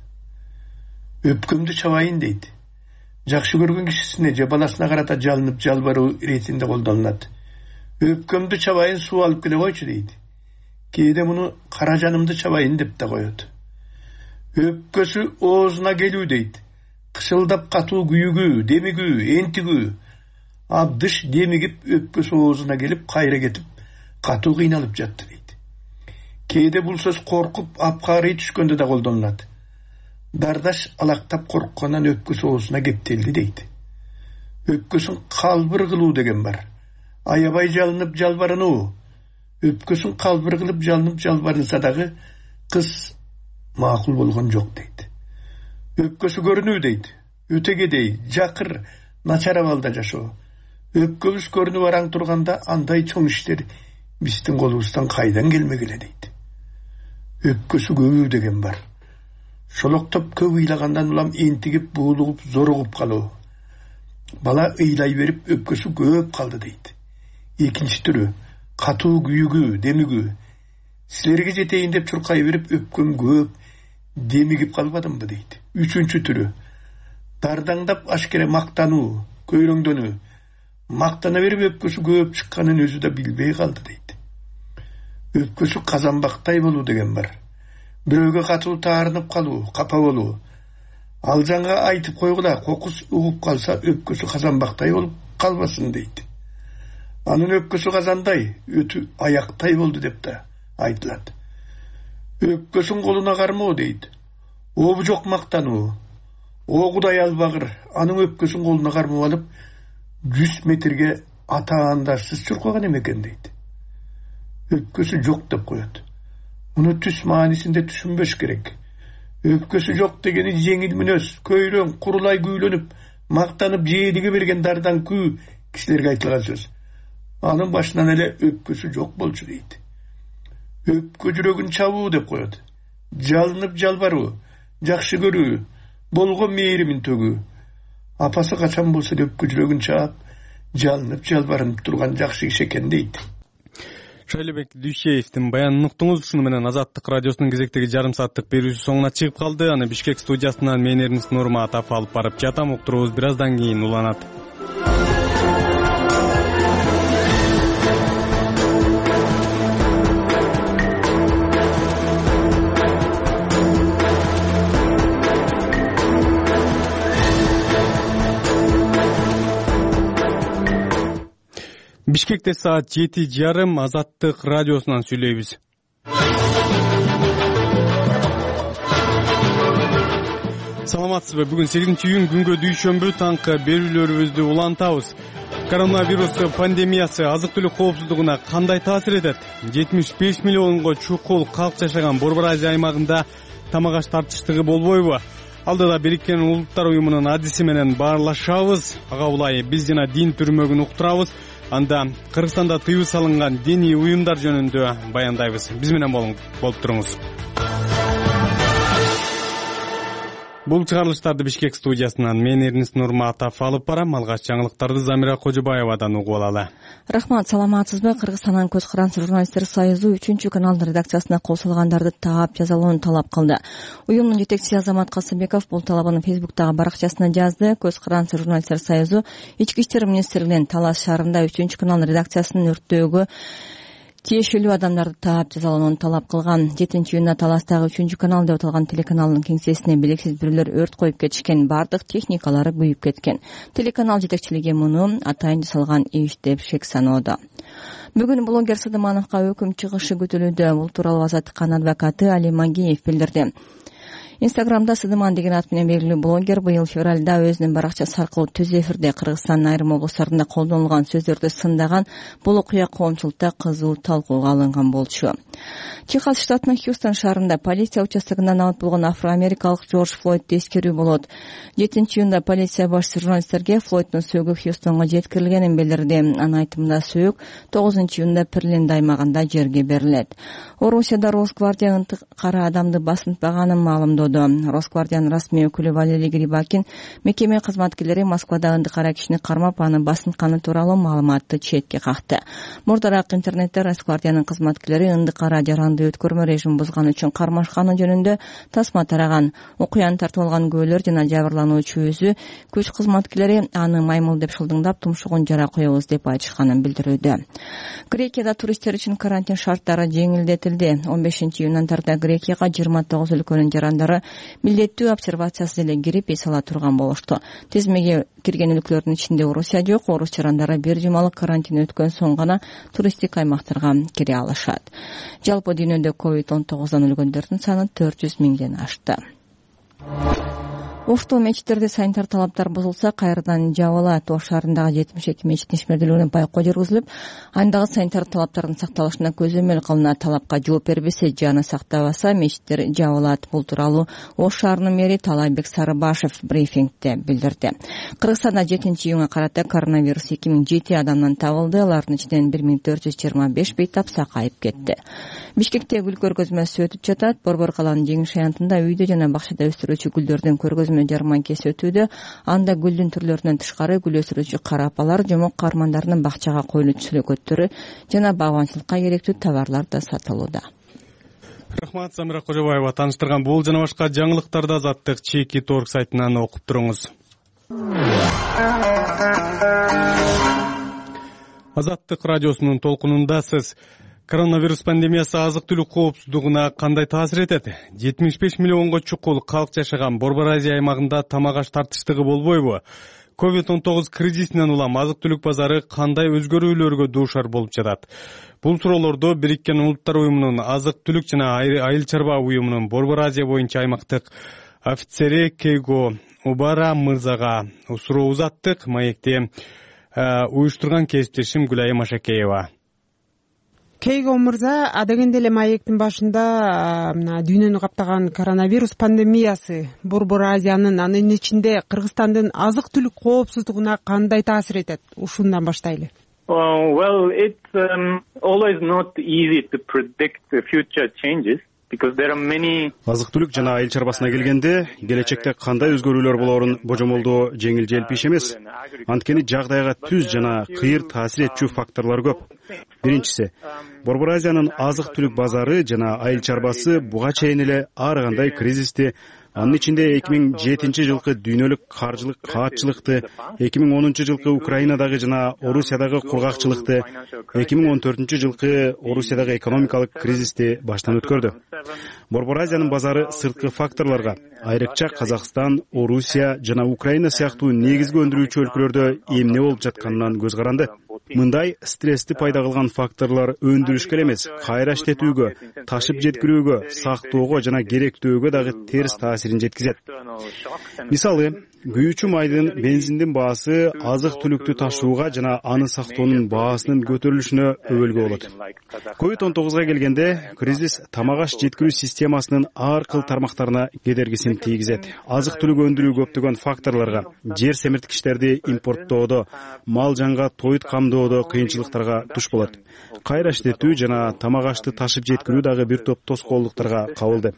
Өпкөмдү чабайын дейт. Жакшы көргөн кишисине же баласына карата жалынып жалбаруу иретинде колдонулат. Өпкөмдү чабайын, суу алып келе койчу дейт. Кээде муну кара жанымды чабайын деп да коет. Өпкөсү оозуна келүү дейт. Кышылдап катуу күйүгүү, демигүү, энтигүү. Абдыш демигип өпкөсү оозуна келип, кайра кетип, катуу кыйналып жатты дейт. Кээде бул сөз коркуп, апкаарый түшкөндө да колдонулат. Дардаш алактап корккандан өпкөсү оозуна кептелди дейт. Өпкөсүн калбыр кылуу деген бар. Аябай жалынып жалбарынуу. Өпкөсүн калбыр кылып жалынып жалбарынса дагы кыз макул болгон жок дейт. Өпкөсү көрүнүү дейт. Өтөгедей, жакыр, начар абалда жашоо. Өпкөбүз көрүнүп араң турганда андай чоң иштер биздин колубуздан кайдан келмегиле дейт. Өпкөсү көбүү деген бар. Шолоктоп көп ыйлагандан улам энтигип, буулугуп, зоругуп калуу. Бала ыйлай берип өпкөсү көп калды дейт. Экинчи түрү катуу күйүгүү, демигүү. Силерге жетейин деп чуркай берип өпкөм көп, демигип калбадымбы дейт. Үчүнчү түрү дардаңдап ашкере мактануу, көйрөңдөнүү. Мактана берип өпкөсү көп чыкканын өзү да билбей калды дейт. Өпкөсү казанбактай болуу деген бар. Бирөөгө катуу таарынып калуу, капа болуу. Ал жаңга айтып койгула, кокус угуп калса өпкөсү казанбактай болуп калбасын дейт. Анын өпкөсү казандай, өтү аяктай болду деп да айтылат. Өпкөсүн колуна кармоо дейт. Обу жок мактануу. О Кудай албагыр, анын өпкөсүн колуна кармап алып 100 метрге атаандашсыз чуркаган эмекен дейт. Өпкөсү жок деп коет. Муну түс маанисинде түшүнбөш керек. Өпкөсү жок дегени жеңил мүнөз, көйрөң, курулай күүлөнүп, мактанып жээлиге берген дардан күү кишилерге айтылган сөз. Анын башынан эле өпкөсү жок болчу дейт. Өпкө жүрөгүн чабуу деп коет. Жалынып жалбаруу, жакшы көрүү, болгон мээримин төгүү. Апасы качан болсо өпкө жүрөгүн чаап, жалынып жалбарынып турган жакшы киши экен дейт. Шайлебек Дүйшеевдин баянын уктуңуз. Ушуну менен Азаттык радиосунун кезектеги жарым сааттык берүүсү соңуна чыгып калды. Аны Бишкек студиясынан мен Эрнис Нурматов алып барып жатам. Уктуруубуз бир аздан кийин уланат. Бишкекте саат 7:30 Азаттык радиосунан сүйлөйбүз. Саламатсызбы? Бүгүн 8-июнь күнгө дүйшөмбү таңкы берүүлөрүбүздү улантабыз. Коронавирус пандемиясы азык-түлүк коопсуздугуна кандай таасир этет? 75 миллионго чукул калк жашаган Борбор Азия аймагында тамак аш тартыштыгы болбойбу? Алдыда Бириккен Улуттар уюмунун адиси менен баарлашабыз. Ага улай биз жана дин түрмөгүн уктурабыз. Анда Кыргызстанда тыюу салынган диний уюмдар жөнүндө баяндайбыз. Биз менен болуп туруңуз. Бул чыгарылыштарды Бишкек студиясынан мен Эрнис Нурматов алып барам. Алгач жаңылыктарды Замира Кожобаевадан угуп алалы. Рахмат, саламатсызбы? Кыргызстандан Көз каранч журналисттер союзу 3-каналдын редакциясына кол салгандарды таап жазалоону талап кылды. Уюмдун жетекчиси Азамат Касымбеков бул талабын Фейсбуктагы баракчасына жазды. Көз каранч журналисттер союзу Ички иштер министрлигинин Талас шаарында 3-канал редакциясынын өрттөөгө тиешелүү адамдарды таап жазалоону талап кылган. 7-июнда Таластагы 3-канал деп аталган телеканалдын кеңсесине белгисиз бирөөлөр өрт коюп кетишкен. Бардык техникалары күйүп кеткен. Телеканал жетекчилиги муну атайын жасалган иш деп шек саноодо. Бүгүн блогер Сыдымановго өкүм чыгышы күтүлүүдө. Бул тууралуу Азаттыктын адвокаты Али Магиев билдирди. Инстаграмда Сыдыман деген ат менен белгилүү блогер быйыл февралда өзүнүн баракчасы аркылуу түз эфирде Кыргызстандын айрым облустарында колдонулган сөздөрдү сындаган. Бул окуя коомчулукта кызуу талкууга алынган болчу. Техас штатынын Хьюстон шаарында полиция участогунда набат болгон афро-америкалык Джордж Флойдду эскерүү болот. 7-июнда полиция башчысы журналисттерге Флойддун сөөгү Хьюстонго жеткирилгенин билдирди. Анын айтымында сөөк 9-июнда Перленд аймагында жерге берилет. Орусияда Росгвардия ынтык кара адамды басынтпаганын маалымдоду. Росгвардиянын расмий өкүлү Валерий Грибакин мекеме кызматкерлери Москвада ынтык кара кишини кармап аны басынтканы тууралуу маалыматты четке какты. Мурдараак интернетте Росгвардиянын кызматкерлери ындык кара жаранды өткөрмө режим бузган үчүн кармашканы жөнүндө тасма тараган. Окуяны тартып алган күбөлөр жана жабырлануучу өзү күч кызматкерлери аны маймыл деп шылдыңдап тумшугун жара коебуз деп айтышканын билдирүүдө. Грекияда туристтер үчүн карантин шарттары жеңилдетилди. 15-июндан тарта Грекияга 29 өлкөнүн жарандары милдеттүү обсервациясыз эле кирип эс ала турган болушту. Тизмеге кирген өлкөлөрдүн ичинде Орусия жок. Орус жарандары бир жумалык карантин өткөн соң гана туристтик аймактарга кире алышат. Жалпы дүйнөдө COVID-19 өлгөндөрдүн саны 400 миңден ашты. Ошту мечиттерде санитар талаптар бузулса, кайрадан жабылат. Ош шаарындагы 72 мечиттин ишмердүүлүгүнө байкоо жүргүзүлүп, андагы санитар талаптардын сакталышына көзөмөл кылынат. Талапка жооп бербесе, жаны сактабаса, мечиттер жабылат. Бул тууралуу Ош шаарынын мэри Талайбек Сарыбашев брифингде билдирди. Кыргызстанда 7-июнга карата коронавирус 2007 адамдан табылды. Алардын ичинен 1425 бейтап сакайып кетти. Бишкекте гүл көргөзмөсү өтүп жатат. Борбор калаанын жеңиш аянтында үйдө жана бакчада өстүрүүчү гүлдөрдүн көргөзмө жарманкеси өтүүдө. Анда гүлдүн түрлөрүнөн тышкары гүл өсүрүүчү кара апалар, жомок каармандарынын бакчага коюлуучу сүлөкөттөрү жана багбанчылыкка керектүү товарлар да сатылууда. Рахмат, Замира Кожобаева тааныштырган. Бул жана башка жаңылыктарды Азаттык Чеки.org сайтынан окуп туруңуз. Азаттык радиосунун толкунундасыз. Коронавирус пандемиясы азык-түлүк коопсуздугуна кандай таасир этет? 75 миллионго чукул калк жашаган Борбор Азия аймагында тамак аш тартыштыгы болбойбу? COVID-19 кризисинен улам азык-түлүк базары кандай өзгөрүүлөргө дуушар болуп жатат? Бул суроолорду Бириккен Улуттар уюмунун азык-түлүк жана айыл чарба уюмунун Борбор Азия боюнча аймактык офицери Кейго Убара мырзага суроо узаттык. Маекти уюштурган кесиптешим Гүлайым Машакеева. Кейго мырза, адегенде эле маектин башында дүйнөнү каптаган коронавирус пандемиясы Борбор Азиянын, анын ичинде Кыргызстандын азык-түлүк коопсуздугуна кандай таасир этет? Ушундан баштайлы. Well, it's always not easy to predict the future changes. азык түлүк жана айыл чарбасына келгенде келечекте кандай өзгөрүүлөр болоорун божомолдоо жеңил желпи иш эмес. Анткени жагдайга түз жана кыйыр таасир этчү факторлор көп. Биринчиси, Борбор Азиянын азык түлүк базары жана айыл чарбасы буга чейин эле ар кандай кризисти, анын ичинде 2007 жылкы дүйнөлүк каржылык каатчылыкты, 2010 жылкы Украинадагы жана Орусиядагы кургакчылыкты, 2014 жылкы Орусиядагы экономикалык кризисти баштан өткөрдү. Борбор Азиянын базары сырткы факторлорго, айрыкча Казакстан, Орусия жана Украина сыяктуу негизги өндүрүүчү өлкөлөрдө эмне болуп жатканынан көз каранды. Мындай стрессти пайда кылган факторлор өндүрүшкө эле эмес, кайра иштетүүгө, ташып жеткирүүгө, сактоого жана керектөөгө дагы терс таасирин жеткизет. Мисалы, күйүүчү майдын, бензиндин баасы азык түлүктү ташууга жана аны сактоонун баасынын көтөрүлүшүнө өбөлгө болот. COVID-19 келгенде кризис тамак аш жеткирүү системасынын ар кыл тармактарына кедергисин тийгизет. Азык түлүк өндүрүү көптөгөн факторлорго, жер семирткичтерди импорттоодо, мал жанга тоют камдоодо кыйынчылыктарга туш болот. Кайра иштетүү жана тамак ашты ташып жеткирүү дагы бир топ тоскоолдуктарга кабылды.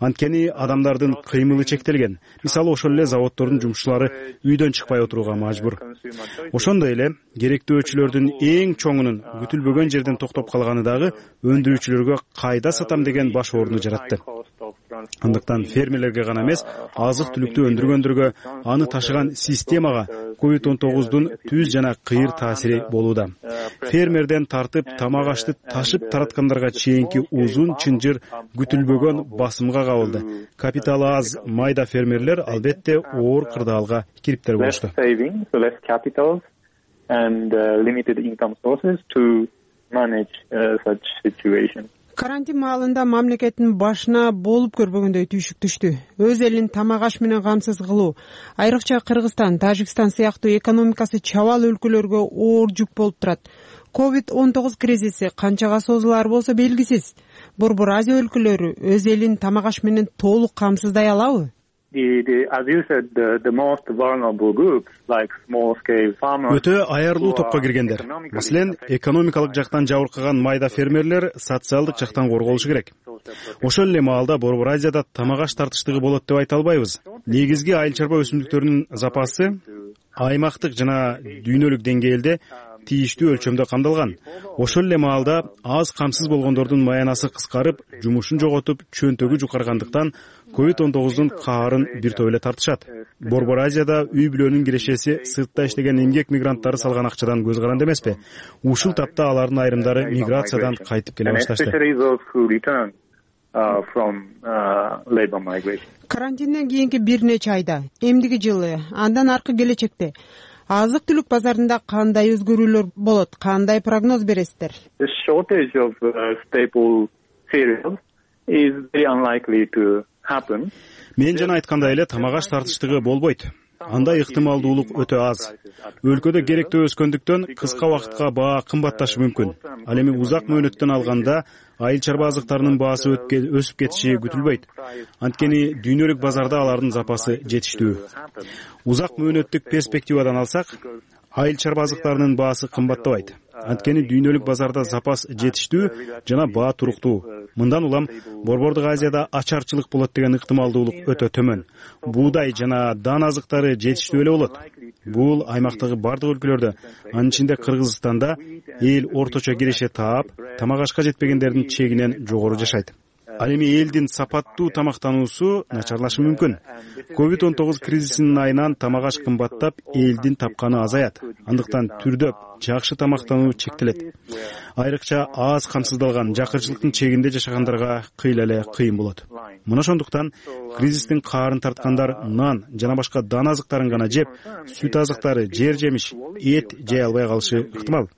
Анткени адамдардын кыймылы чектелген. Мисалы, ошол эле заводдордун жумушчулары үйдөн чыкпай отурууга мажбур. Ошондой эле керектөөчүлөрдүн эң чоңунун күтүлбөгөн жерден токтоп калганы дагы өндүрүүчүлөргө кайда сатам деген баш ооруну жаратты. Андыктан фермерлерге гана эмес, азык түлүктү өндүргөндөргө, аны ташыган системага COVID-19дун түз жана кыйыр таасири болууда. Фермерден тартып тамак ашты ташып тараткандарга чейинки узун чынжыр күтүлбөгөн басымга кабылды. Капиталы аз майда фермерлер албетте оор кырдаалга кириптер болушту. Карантин маалында мамлекеттин башына болуп көрбөгөндөй түйшүк түштү. Өз элин тамак аш менен камсыз кылуу, айрыкча Кыргызстан, Тажикстан сыяктуу экономикасы чабал өлкөлөргө оор жүк болуп турат. COVID-19 кризиси канчага созулаар болсо белгисиз. Борбор Азия өлкөлөрү өз элин тамак аш менен толук камсыздай алабы? Өтө аярлуу топко киргендер. Маселен, экономикалык жактан жабыркаган майда фермерлер социалдык жактан корголушу керек. Ошол эле маалда Борбор Азияда тамак аш тартыштыгы болот деп айта албайбыз. Негизги айыл чарба өсүмдүктөрүнүн запасы аймактык жана дүйнөлүк деңгээлде тийиштүү өлчөмдө камдалган. Ошол эле маалда аз камсыз болгондордун маянасы кыскарып, жумушун жоготуп, чөнтөгү жукаргандыктан COVID-19дун каарын бир топ эле тартышат. Борбор Азияда үй бүлөнүн кирешеси сыртта иштеген эмгек мигранттары салган акчадан көз каранды эмеспи? Ушул тапта алардын айрымдары миграциядан кайтып келе башташты. Карантинден кийинки бир нече айда, эмдиги жылы, андан аркы келечекте азык түлүк базарында кандай өзгөрүүлөр болот? Кандай прогноз бересиздер? Мен жана айткандай эле тамак аш тартыштыгы болбойт. Андай ыктымалдуулук өтө аз. Өлкөдө керектөө өскөндүктөн кыска убакытка баа кымбатташы мүмкүн. Ал эми узак мөөнөттөн алганда айыл чарба азыктарынын баасы өсүп кетиши күтүлбөйт. Анткени дүйнөлүк базарда алардын запасы жетиштүү. Узак мөөнөттүк перспективадан алсак, айыл чарба азыктарынын баасы кымбаттабайт. Анткени дүйнөлүк базарда запас жетиштүү жана баа туруктуу. Мындан улам Борбордук Азияда ачарчылык болот деген ыктымалдуулук өтө төмөн. Буудай жана дан азыктары жетиштүү эле болот. Бул аймактагы бардык өлкөлөрдө, анын ичинде Кыргызстанда эл орточо киреше таап, тамак ашка жетпегендердин чегинен жогору жашайт. Ал эми элдин сапаттуу тамактануусу начарлашы мүмкүн. COVID-19 кризисинин айынан тамак аш кымбаттап, элдин тапканы азаят. Андыктан түрдөп, жакшы тамактануу чектелет. Айрыкча аз камсыздалган, жакырчылыктын чегинде жашагандарга кыйла эле кыйын болот. Мына ошондуктан кризистин каарын тарткандар нан жана башка дан азыктарын гана жеп, сүт азыктары, жер жемиш, эт жей албай калышы ыктымал.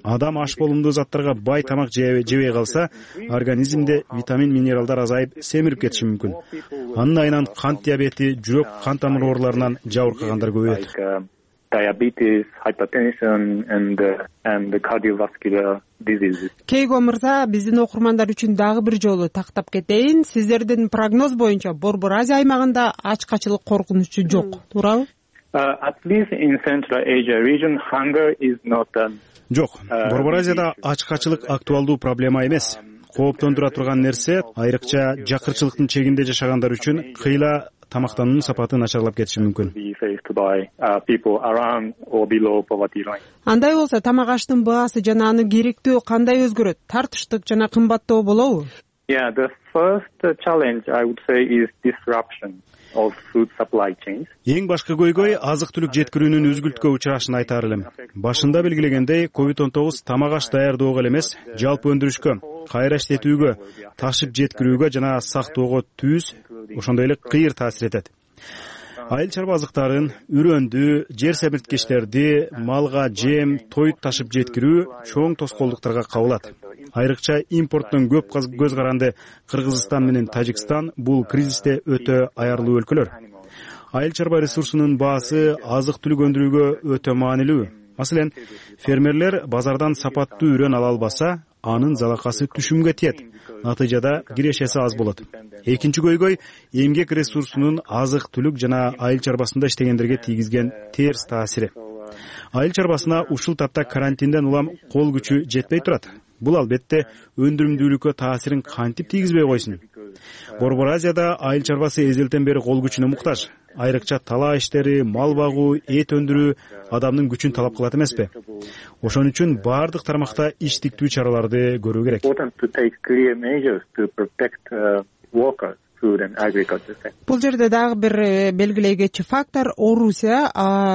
Адам аш болумдуу заттарга бай тамак жебей калса, организмде витамин, минералдар азайып, семирип кетиши мүмкүн. Анын айынан кант диабети, жүрөк, кан тамыр ооруларынан жабыркагандар көбөйөт. Кейго мырза, биздин окурмандар үчүн дагы бир жолу тактап кетейин. Сиздердин прогноз боюнча Борбор Азия аймагында ачкачылык коркунучу жок, туурабы? Жок, Борбор Азияда ачкачылык актуалдуу проблема эмес. кооптондура турган нерсе айрыкча жакырчылыктын чегинде жашагандар үчүн кыйла тамактануунун сапаты начарлап кетиши мүмкүн. Андай болсо тамак аштын баасы жана аны керектөө кандай өзгөрөт? Тартыштык жана кымбаттоо болобу? Yeah, the first challenge I would say is disruption of food supply chains. Эң башкы көйгөй азык-түлүк жеткирүүнүн үзгүлткө учурашын айтаар элем. Башында белгилегендей, COVID-19 тамак аш даярдоого эле эмес, жалпы өндүрүшкө, кайра иштетүүгө, ташып жеткирүүгө жана сактоого түз, ошондой эле кыйыр таасир этет. Айыл чарба азыктарын, үрөндү, жер семирткичтерди, малга жем, тоют ташып жеткирүү чоң тоскоолдуктарга кабылат. Айрыкча импорттон көп көз каранды Кыргызстан менен Тажикстан бул кризисте өтө аярлуу өлкөлөр. Айыл чарба ресурсунун баасы азык-түлүк өндүрүүгө өтө маанилүү. Маселен, фермерлер базардан сапаттуу үрөн ала албаса, анын залакасы түшүмгө тиет. Натыйжада кирешеси аз болот. Экинчи көйгөй эмгек ресурсунун азык-түлүк жана айыл чарбасында иштегендерге тийгизген терс таасири. Айыл чарбасына ушул тапта карантинден улам кол күчү жетпей турат. Бул албетте өндүрүмдүүлүккө таасирин кантип тийгизбей койсун. Борбор Азияда айыл чарбасы эзелтен бери кол күчүнө муктаж. Айрыкча талаа иштери, мал багуу, эт өндүрүү адамдын күчүн талап кылат эмеспи? Ошон үчүн баардык тармакта иш тиктүү чараларды көрүү керек. Бул жерде дагы бир белгилей кетчү фактор Орусия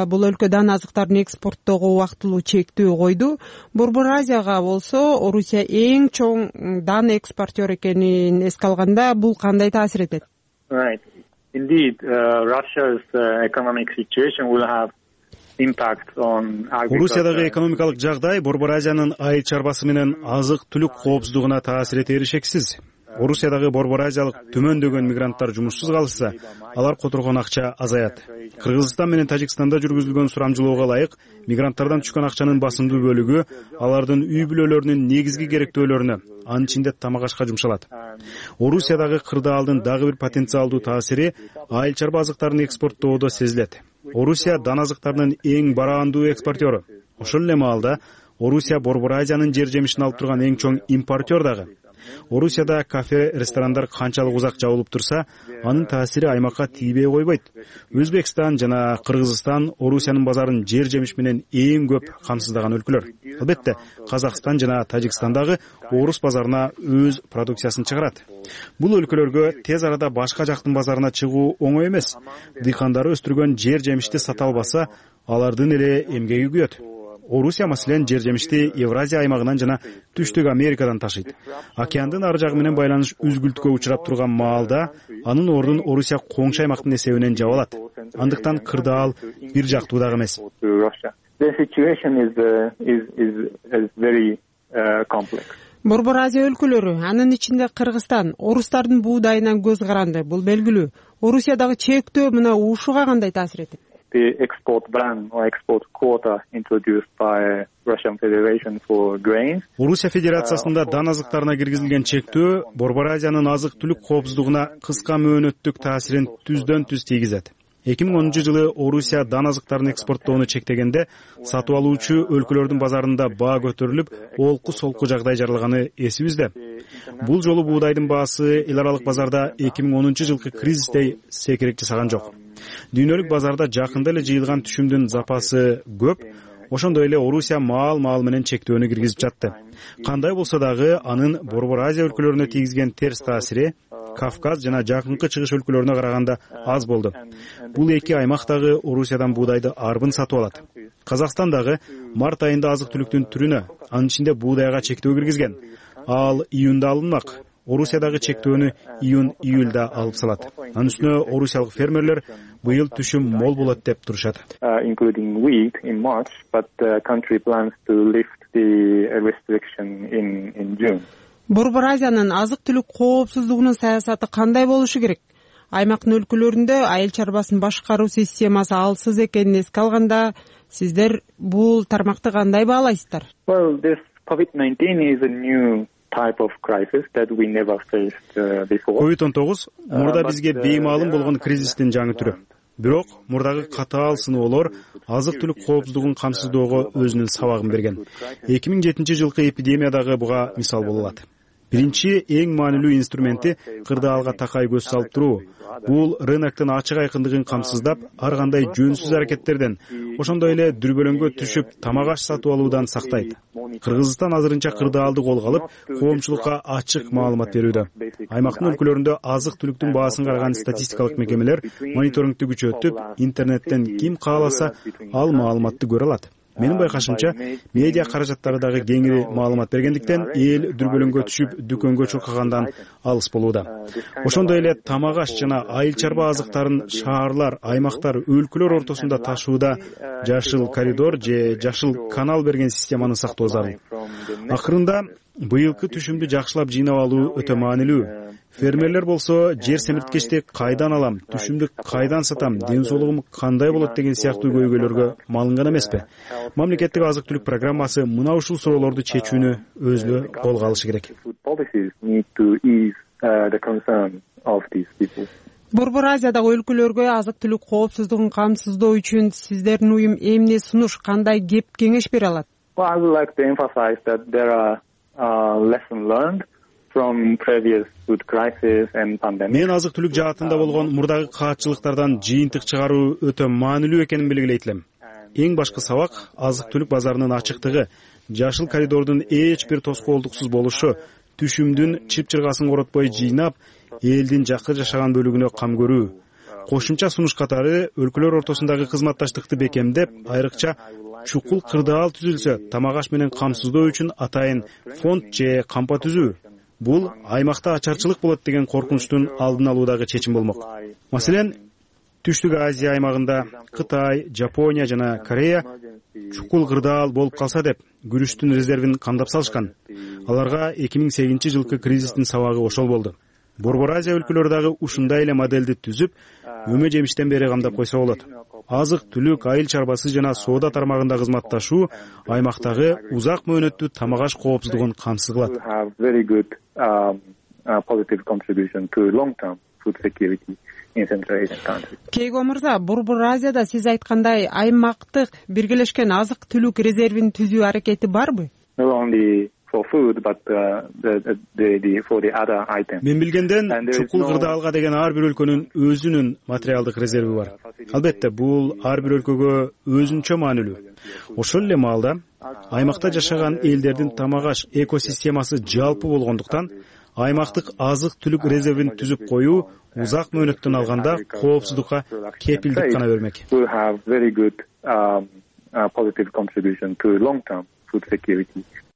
бул өлкө дан азыктарын экспорттоого убактылуу чектөө койду. Борбор Азияга болсо Орусия эң чоң дан экспортер экенин эске алганда бул кандай таасир этет? Right. Indeed, Russia's economic situation will have impact on agriculture. Орусиядагы экономикалык жагдай Борбор Азиянын айыл чарбасы менен азык-түлүк коопсуздугуна таасир этери шексиз. Орусиядагы Борбор Азиялык төмөндөгөн мигранттар жумушсуз калышса, алар которгон акча азаят. Кыргызстан менен Тажикстанда жүргүзүлгөн сурамжылоого ылайык, мигранттардан түшкөн акчанын басымдуу бөлүгү алардын үй бүлөлөрүнүн негизги керектөөлөрүнө, анын ичинде тамак ашка жумшалат. Орусиядагы кырдаалдын дагы бир потенциалдуу таасири айыл чарба азыктарын экспорттоодо сезилет. Орусия дан азыктарынын эң бараандуу экспортеру. Ошол эле маалда Орусия Борбор Азиянын жер жемишин алып турган эң чоң импортер дагы. Орусияда кафе, ресторандар канчалык узак жабылып турса, анын таасири аймакка тийбей койбойт. Өзбекстан жана Кыргызстан Орусиянын базарын жер жемиш менен эң көп камсыздаган өлкөлөр. Албетте, Казакстан жана Тажикстан дагы орус базарына өз продукциясын чыгарат. Бул өлкөлөргө тез арада башка жактын базарына чыгуу оңой эмес. Дыйкандары өстүргөн жер жемишти сата албаса, алардын эле эмгеги күйөт. Орусия маселен жер жемишти Евразия аймагынан жана Түштүк Америкадан ташыйт. Океандын ары жагы менен байланыш үзгүлткө учурап турган маалда анын ордун Орусия коңшу аймактын эсебинен жаап алат. Андыктан кырдаал бир жактуу дагы эмес. Борбор Азия өлкөлөрү, анын ичинде Кыргызстан, орустардын буудайынан көз каранды. Бул белгилүү. Орусиядагы чектөө мына ушуга кандай таасир этет? The export ban or export quota introduced by Russian Federation for grains. Орусия Федерациясында дан азыктарына киргизилген чектөө Борбор Азиянын азык-түлүк коопсуздугуна кыска мөөнөттүк таасирин түздөн түз тийгизет. 2010-жылы Орусия дан азыктарын экспорттоону чектегенде сатып алуучу өлкөлөрдүн базарында баа көтөрүлүп, олку-солку жагдай жаралганы эсибизде. Бул жолу буудайдын баасы эл аралык базарда 2010-жылкы кризистей секирек жасаган жок. Дүйнөлүк базарда жакында эле жыйылган түшүмдүн запасы көп, ошондой эле Орусия маал менен чектөөнү киргизип жатты. Кандай болсо дагы анын Борбор Азия өлкөлөрүнө тийгизген терс таасири Кавказ жана Жакынкы Чыгыш өлкөлөрүнө караганда аз болду. Бул эки аймак дагы Орусиядан буудайды арбын сатып алат. Казакстан дагы март айында азык-түлүктүн түрүнө, анын ичинде буудайга чектөө киргизген. Ал июнда алынмак. Орусиядагы чектөөнү июнь-июлда алып салат. Анын үстүнө орусиялык фермерлер быйыл түшүм мол болот деп турушат. Including wheat in March, but the country plans to lift the restriction in June. Борбор Азиянын азык-түлүк коопсуздугунун саясаты кандай болушу керек? Аймактын өлкөлөрүндө айыл чарбасын башкаруу системасы алсыз экенин эске алганда, сиздер бул тармакты кандай баалайсыздар? Well, this COVID-19 is a new type of crisis that we never faced before. COVID-19 мурда бизге беймаалым болгон кризистин жаңы түрү. Бирок мурдагы катаал сыноолор азык-түлүк коопсуздугун камсыздоого өзүнүн сабагын берген. 2007-жылкы эпидемия дагы буга мисал боло алат. Биринчи эң маанилүү инструменти кырдаалга такай көз салып туруу. Бул рыноктун ачык айкындыгын камсыздап, ар кандай жөнсүз аракеттерден, ошондой эле дүрбөлөңгө түшүп тамак аш сатып алуудан сактайт. Кыргызстан азырынча кырдаалды колго алып, коомчулукка ачык маалымат берүүдө. Аймактын өлкөлөрүндө азык-түлүктүн баасын караган статистикалык мекемелер мониторингди күчөтүп, интернеттен ким кааласа ал маалыматты көрө алат. Менин байкашымча, медиа каражаттары дагы кеңири маалымат бергендиктен эл дүрбөлөңгө түшүп, дүкөнгө чуркагандан алыс болууда. Ошондой эле тамак аш жана айыл чарба азыктарын шаарлар, аймактар, өлкөлөр ортосунда ташууда жашыл коридор же жашыл канал берген системаны сактоо зарыл. Акырында быйылкы түшүмдү жакшылап жыйнап алуу өтө маанилүү. Фермерлер болсо жер семирткечти кайдан алам, түшүмдү кайдан сатам, ден соолугум кандай болот деген сыяктуу көйгөйлөргө малынган эмеспи? Мамлекеттик азык-түлүк программасы мына ушул суроолорду чечүүнү өзү колго алышы керек. Борбор Азиядагы өлкөлөргө азык-түлүк коопсуздугун камсыздоо үчүн сиздердин уюм эмне сунуш, кандай кеп кеңеш бере алат? Мен азык-түлүк жаатында болгон мурдагы каатчылыктардан жыйынтык чыгаруу өтө маанилүү экенин белгилейт элем. Эң башкы сабак азык-түлүк базарынын ачыктыгы, жашыл коридордун эч бир тоскоолдуксуз болушу, түшүмдүн чып-чыргасын коротпой жыйнап, элдин жакыр жашаган бөлүгүнө кам көрүү. Кошумча сунуш катары өлкөлөр ортосундагы кызматташтыкты бекемдеп, айрыкча чукул кырдаал түзүлсө, тамак аш менен камсыздоо үчүн атайын фонд же кампа түзүү. Бул аймакта ачарчылык болот деген коркунучтун алдын алуудагы чечим болмок. Маселен, Түштүк Азия аймагында Кытай, Жапония жана Корея чукул кырдаал болуп калса деп күрүчтүн резервин камдап салышкан. Аларга 2008-жылкы кризистин сабагы ошол болду. Борбор Азия өлкөлөрү дагы ушундай эле моделди түзүп, өмө жемиштен бери камдап койсо болот. Азык-түлүк, айыл чарбасы жана соода тармагында кызматташуу аймактагы узак мөөнөттүү тамак аш коопсуздугун камсыз кылат. Кейго мырза, Борбор Азияда сиз айткандай аймактык биргелешкен азык-түлүк резервин түзүү аракети барбы? Мен билгенден чукул кырдаалга деген ар бир өлкөнүн өзүнүн материалдык резерви бар. Албетте, бул ар бир өлкөгө өзүнчө маанилүү. Ошол эле маалда аймакта жашаган элдердин тамак аш экосистемасы жалпы болгондуктан аймактык азык-түлүк резервин түзүп коюу узак мөөнөттөн алганда коопсуздукка кепилдик гана бермек.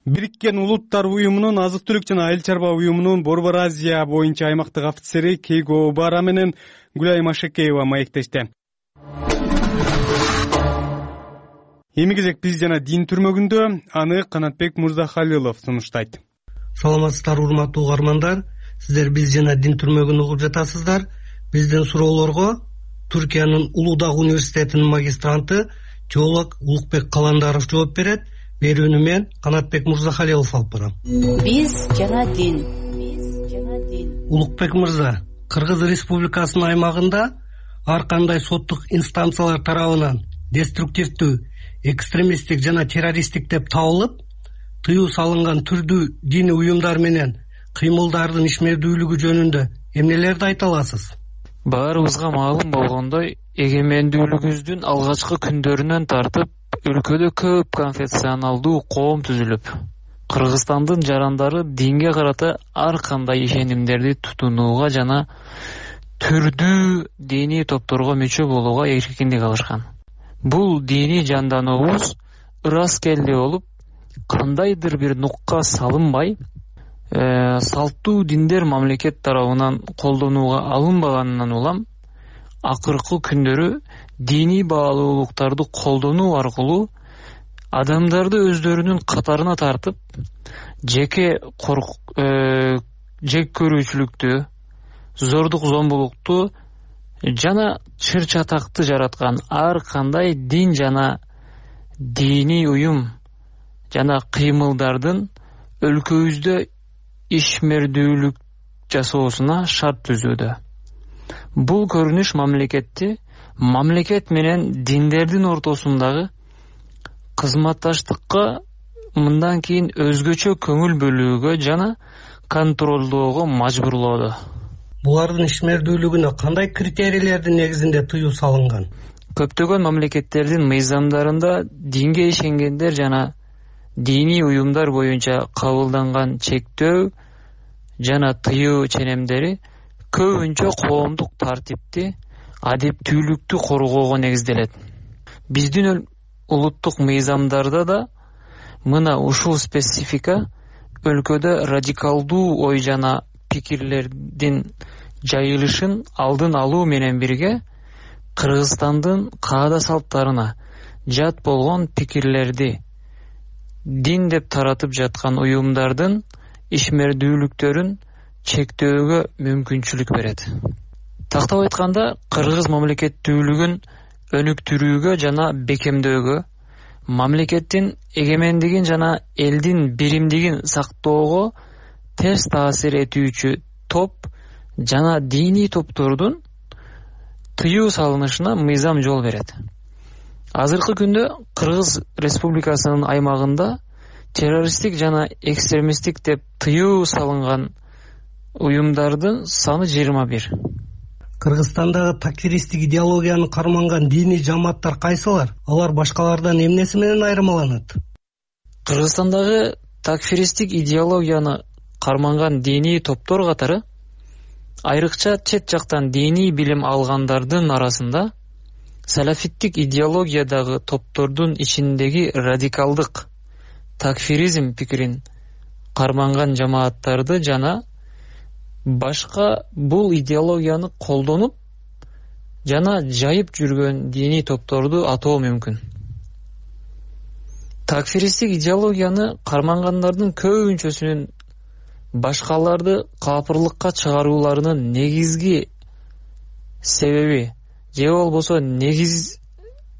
Бириккен Улуттар уюмунун азык-түлүк жана айыл чарба уюмунун Борбор Азия боюнча аймактык офицери Кейго Обара менен Гүлай Машекеева маектешти. Эми кезек биз жана дин түрмөгүндө, аны Канатбек Мырзахалилов сунуштайт. Саламатсыздар урматтуу угармандар, сиздер биз жана дин түрмөгүн угуп жатасыздар. Биздин суроолорго Түркиянын Улуудак университетинин магистранты теолог Улукбек Каландаров жооп берет. Берүүнү мен Канатбек Мырзахалилов алып барам. Биз жана дин. Улукбек мырза, Кыргыз Республикасынын аймагында ар кандай соттук инстанциялар тарабынан деструктивдүү, экстремисттик жана террористтик деп табылып, тыюу салынган түрдүү диний уюмдар менен кыймылдардын ишмердүүлүгү жөнүндө эмнелерди айта аласыз? Баарыбызга маалым болгондой, эгемендүүлүгүбүздүн алгачкы күндөрүнөн тартып өлкөдө көп конфессионалдуу коом түзүлүп, Кыргызстандын жарандары динге карата ар кандай ишенимдерди тутунууга жана түрдүү диний топторго мүчө болууга эркиндик алышкан. Бул диний жандануубуз ыраскелди болуп, кандайдыр бир нукка салынбай, салттуу диндер мамлекет тарабынан колдонууга алынбаганынан улам, акыркы күндөрү диний баалуулуктарды колдонуу аркылуу адамдарды өздөрүнүн катарына тартып, жек көрүүчүлүктү, зордук-зомбулукту жана чыр-чатакты жараткан ар кандай дин жана диний уюм жана кыймылдардын өлкөбүздө ишмердүүлүк жасоосуна шарт түзүүдө. Бул көрүнүш мамлекет менен диндердин ортосундагы кызматташтыкка мындан кийин өзгөчө көңүл бөлүүгө жана контролдоого мажбурлоодо. Булардын ишмердүүлүгүнө кандай критерийлердин негизинде тыюу салынган? Көптөгөн мамлекеттердин мыйзамдарында динге ишенгендер жана диний уюмдар боюнча кабылданган чектөө жана тыюу ченемдери көбүнчө коомдук тартипти, адептүүлүктү коргоого негизделет. Биздин улуттук мыйзамдарда да мына ушул специфика өлкөдө радикалдуу ой жана пикирлердин жайылышын алдын алуу менен бирге Кыргызстандын каада салттарына жат болгон пикирлерди дин деп таратып жаткан уюмдардын ишмердүүлүктөрүн чектөөгө мүмкүнчүлүк берет. Тактап айтканда, кыргыз мамлекеттүүлүгүн өнүктүрүүгө жана бекемдөөгө, мамлекеттин эгемендигин жана элдин биримдигин сактоого терс таасир этүүчү топ жана диний топтордун тыюу салынышына мыйзам жол берет. Азыркы күндө Кыргыз Республикасынын аймагында террористтик жана экстремисттик деп тыюу салынган уюмдардын саны 21. Кыргызстандагы такфиристтик идеологияны карманган диний жамааттар кайсылар? Алар башкалардан эмнеси менен айырмаланат? Кыргызстандагы такфиристтик идеологияны карманган диний топтор катары айрыкча чет жактан диний билим алгандардын арасында салафиттик идеологиядагы топтордун ичиндеги радикалдык такфиризм пикирин карманган жамааттарды жана башка бул идеологияны колдонуп жана жайып жүргөн диний топторду атоо мүмкүн. Такфиристтик идеологияны кармангандардын көбүнчөсүнүн башкаларды капырлыкка чыгарууларынын негизги себеби же болбосо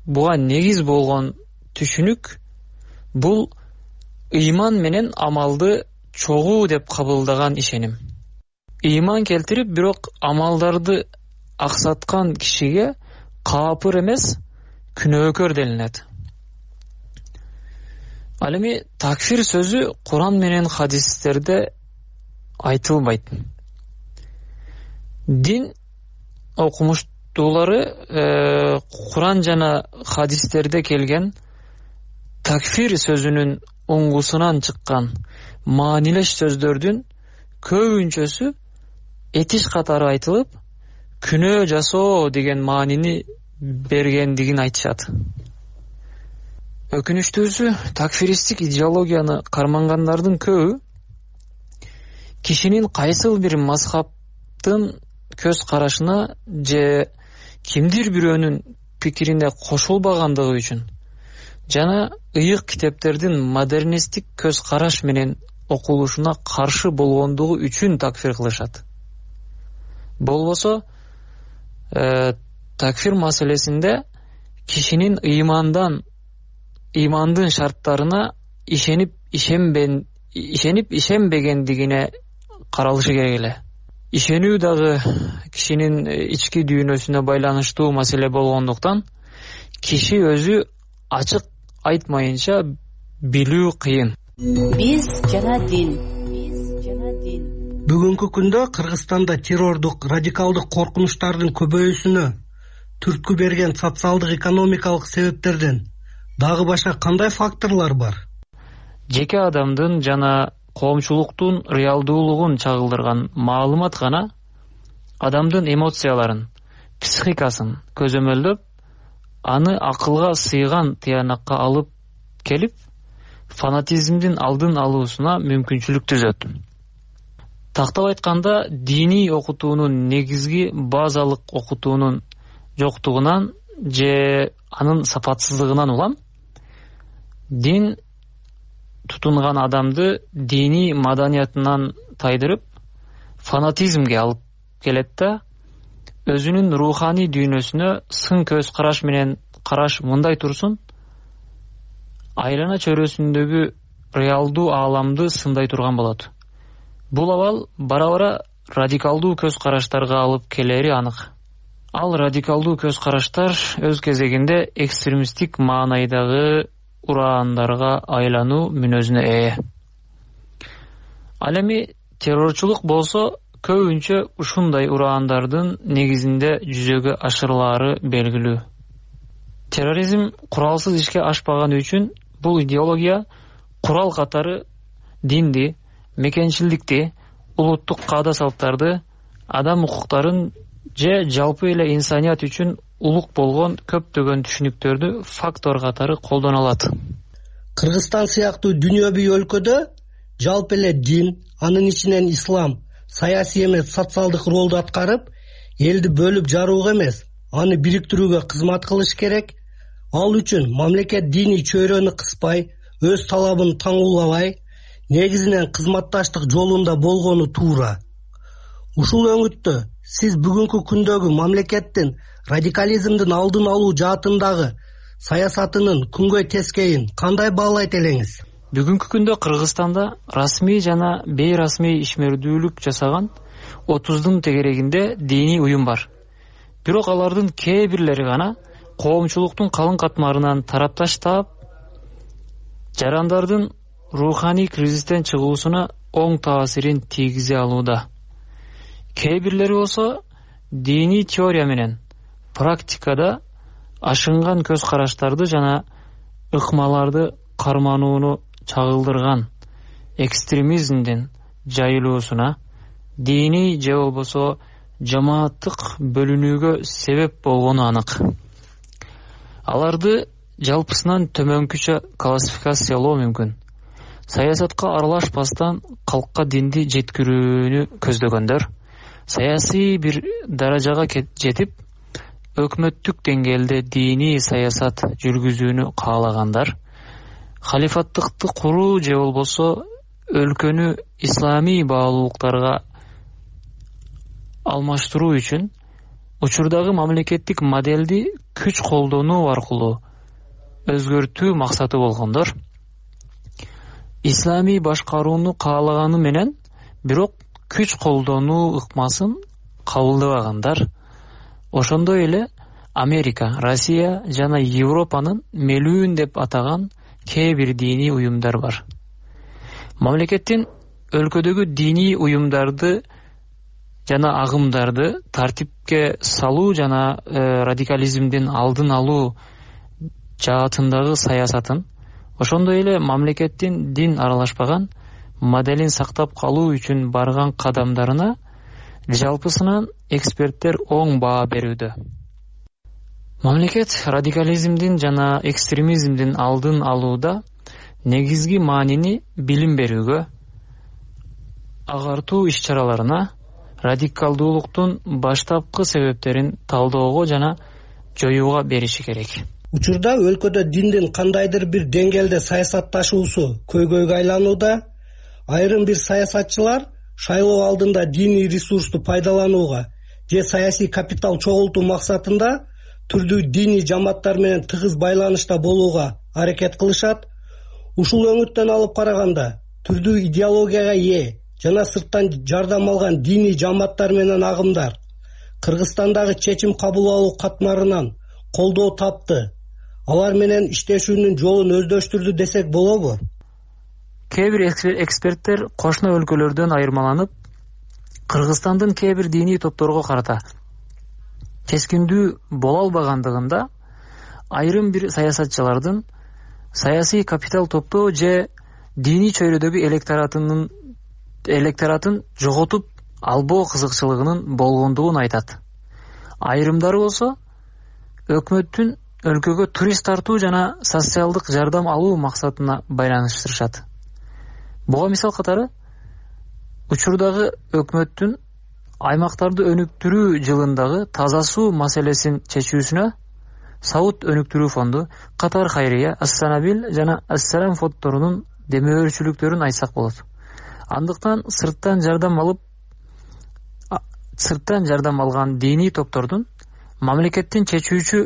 буга негиз болгон түшүнүк бул ыйман менен амалды чогуу деп кабылдаган ишеним. Ыйман келтирип, бирок амалдарды аксаткан кишиге каапыр эмес, күнөөкөр делинет. Ал эми такфир сөзү Куран менен хадистерде айтылбайт. Дин окумуштуулары Куран жана хадистерде келген такфир сөзүнүн уңгусунан чыккан маанилеш сөздөрдүн көбүнчөсү этиш катары айтылып, күнөө жасоо деген маанини бергендигин айтышат. Өкүнүчтүүсү, такфиристтик идеологияны кармангандардын көбү кишинин кайсыл бир мазхабтын көз карашына же кимдир бирөөнүн пикирине кошулбагандыгы үчүн жана ыйык китептердин модернисттик көз караш менен окулушуна каршы болгондугу үчүн такфир кылышат. Болбосо такфир маселесинде кишинин ыймандын шарттарына ишенип ишенбегендигине каралышы керек эле. Ишенүү дагы кишинин ички дүйнөсүнө байланыштуу маселе болгондуктан киши өзү ачык айтмайынча билүү кыйын. Биз жана дин. Бүгүнкү күндө Кыргызстанда террордук, радикалдык коркунучтардын көбөйүүсүнө түрткү берген социалдык экономикалык себептерден дагы башка кандай факторлор бар? Жеке адамдын жана коомчулуктун реалдуулугун чагылдырган маалымат гана адамдын эмоцияларын, психикасын көзөмөлдөп, аны акылга сыйган тыянакка алып келип, фанатизмдин алдын алуусуна мүмкүнчүлүк түзөт. Тактап айтканда, диний окутуунун негизги базалык окутуунун жоктугунан же анын сапатсыздыгынан улам, дин тутунган адамды диний маданиятынан тайдырып, фанатизмге алып келет да, өзүнүн руханий дүйнөсүнө сын көз караш менен караш мындай турсун, айлана чөйрөсүндөгү реалдуу ааламды сындай турган болот. Бул абал бара-бара радикалдуу көз караштарга алып келери анык. Ал радикалдуу көз караштар өз кезегинде экстремисттик маанайдагы ураандарга айлануу мүнөзүнө ээ. Ал эми террорчулук болсо көбүнчө ушундай ураандардын негизинде жүзөгө ашырылаары белгилүү. Терроризм куралсыз ишке ашпаган үчүн бул идеология курал катары динди, мекенчилдикти, улуттук каада салттарды, адам укуктарын же жалпы эле инсаният үчүн улук болгон көптөгөн түшүнүктөрдү фактор катары колдоно алат. Кыргызстан сыяктуу дүйнөбүй өлкөдө жалпы эле дин, анын ичинен ислам саясий эмес социалдык ролду аткарып, элди бөлүп жарууга эмес, аны бириктирүүгө кызмат кылыш керек. Ал үчүн мамлекет диний чөйрөнү кыспай, өз талабын таңуулабай, негизинен кызматташтык жолунда болгону туура. Ушул өңүттө сиз бүгүнкү күндөгү мамлекеттин радикализмдин алдын алуу жаатындагы саясатынын күнгөй тескейин кандай баалайт элеңиз? Бүгүнкү күндө Кыргызстанда расмий жана бейрасмий ишмердүүлүк жасаган 30 тегерегинде диний уюм бар. Бирок алардын кээ бирлери гана коомчулуктун калың катмарынан тарапташтап, жарандардын руханий кризистен чыгуусуна оң таасирин тийгизе алууда. Кээ бирлери болсо диний теория менен практикада ашынган көз караштарды жана ыкмаларды карманууну чагылдырган экстремизмдин жайылуусуна, диний же болбосо жамааттык бөлүнүүгө себеп болгону анык. Аларды жалпысынан төмөнкүчө классификациялоо мүмкүн. Саясатка аралашпастан калкка динди жеткирүүнү көздөгөндөр, саясий бир даражага жетип, өкмөттүк деңгээлде диний саясат жүргүзүүнү каалагандар, халифаттыкты куруу же болбосо өлкөнү исламий баалуулуктарга алмаштыруу үчүн учурдагы мамлекеттик моделди күч колдонуу аркылуу өзгөртүү максаты болгондор, исламий башкарууну каалаганы менен бирок күч колдонуу ыкмасын кабылдабагандар, ошондой эле Америка, Россия жана Европанын мелүүн деп атаган кээ бир диний уюмдар бар. Мамлекеттин өлкөдөгү диний уюмдарды жана агымдарды тартипке салуу жана радикализмдин алдын алуу жаатындагы саясатын, ошондой эле мамлекеттин дин аралашпаган моделин сактап калуу үчүн барган кадамдарына жалпысынан эксперттер оң баа берүүдө. Мамлекет радикализмдин жана экстремизмдин алдын алууда негизги маанини билим берүүгө, агартуу иш-чараларына, радикалдуулуктун баштапкы себептерин талоого жана жоюуга бериши керек. Учурда өлкөдө диндин кандайдыр бир деңгээлде саясатташуусу көйгөйгө айланууда. Айрым бир саясатчылар шайлоо алдында диний ресурсту пайдаланууга же саясий капитал чогултуу максатында түрдүү диний жамааттар менен тыгыз байланышта болууга аракет кылышат. Ушул өңүттөн алып караганда түрдүү идеологияга ээ жана сырттан жардам алган диний жамааттар менен агымдар Кыргызстандагы чечим кабыл алуу катмарынан колдоо тапты. Алар менен иштешүүнүн жолун өздөштүрдү десек болобу? Кээ бир эксперттер кошуна өлкөлөрдөн айырмаланып, Кыргызстандын кээ бир диний топторго карата кескиндүү боло албагандыгында айрым бир саясатчылардын саясий капитал топтоо же диний чөйрөдөгү электоратын жоготуп албоо кызыкчылыгынын болгондугун айтат. Айрымдары болсо өкмөттүн өлкөгө турист тартуу жана социалдык жардам алуу максатына байланыштырышат. Буга мисал катары учурдагы өкмөттүн аймактарды өнүктүрүү жылындагы таза суу маселесин чечүүсүнө Сауд өнүктүрүү фонду, Катар Хайрия, Ас-Санабил жана Ас-Салам фонддорунун демөөрчүлүктөрүн айтсак болот. Андыктан сырттан жардам алган диний топтордун мамлекеттин чечүүчү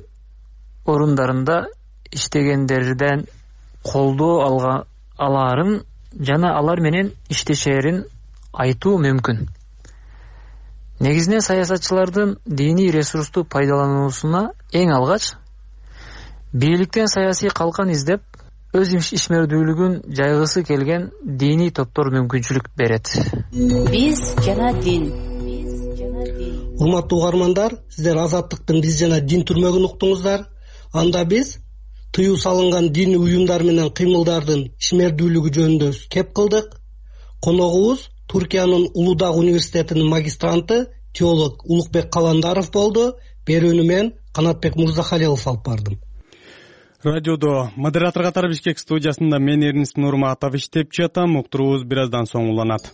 орундарында иштегендерден колдоо алаарын жана алар менен иштешерин айтуу мүмкүн. Негизинен саясатчылардын диний ресурсту пайдалануусуна эң алгач бийликтен саясий калкан издеп, өз ишмердүүлүгүн жайгысы келген диний топтор мүмкүнчүлүк берет. Биз жана дин. Урматтуу угармандар, сиздер Азаттыктын биз жана дин түрмөгүн уктуңуздар. Анда биз тыюу салынган диний уюмдар менен кыймылдардын ишмердүүлүгү жөнүндө кеп кылдык. Коногубуз Туркиянын Улудаг университетинин магистранты теолог Улукбек Каландаров болду. Берүүнү мен Канатбек Мурзахалилов алып бардым. Радиодо модератор катары Бишкек студиясында мен Эрнис Нурматов иштеп жатам. Уктуруубуз бир аздан соң уланат.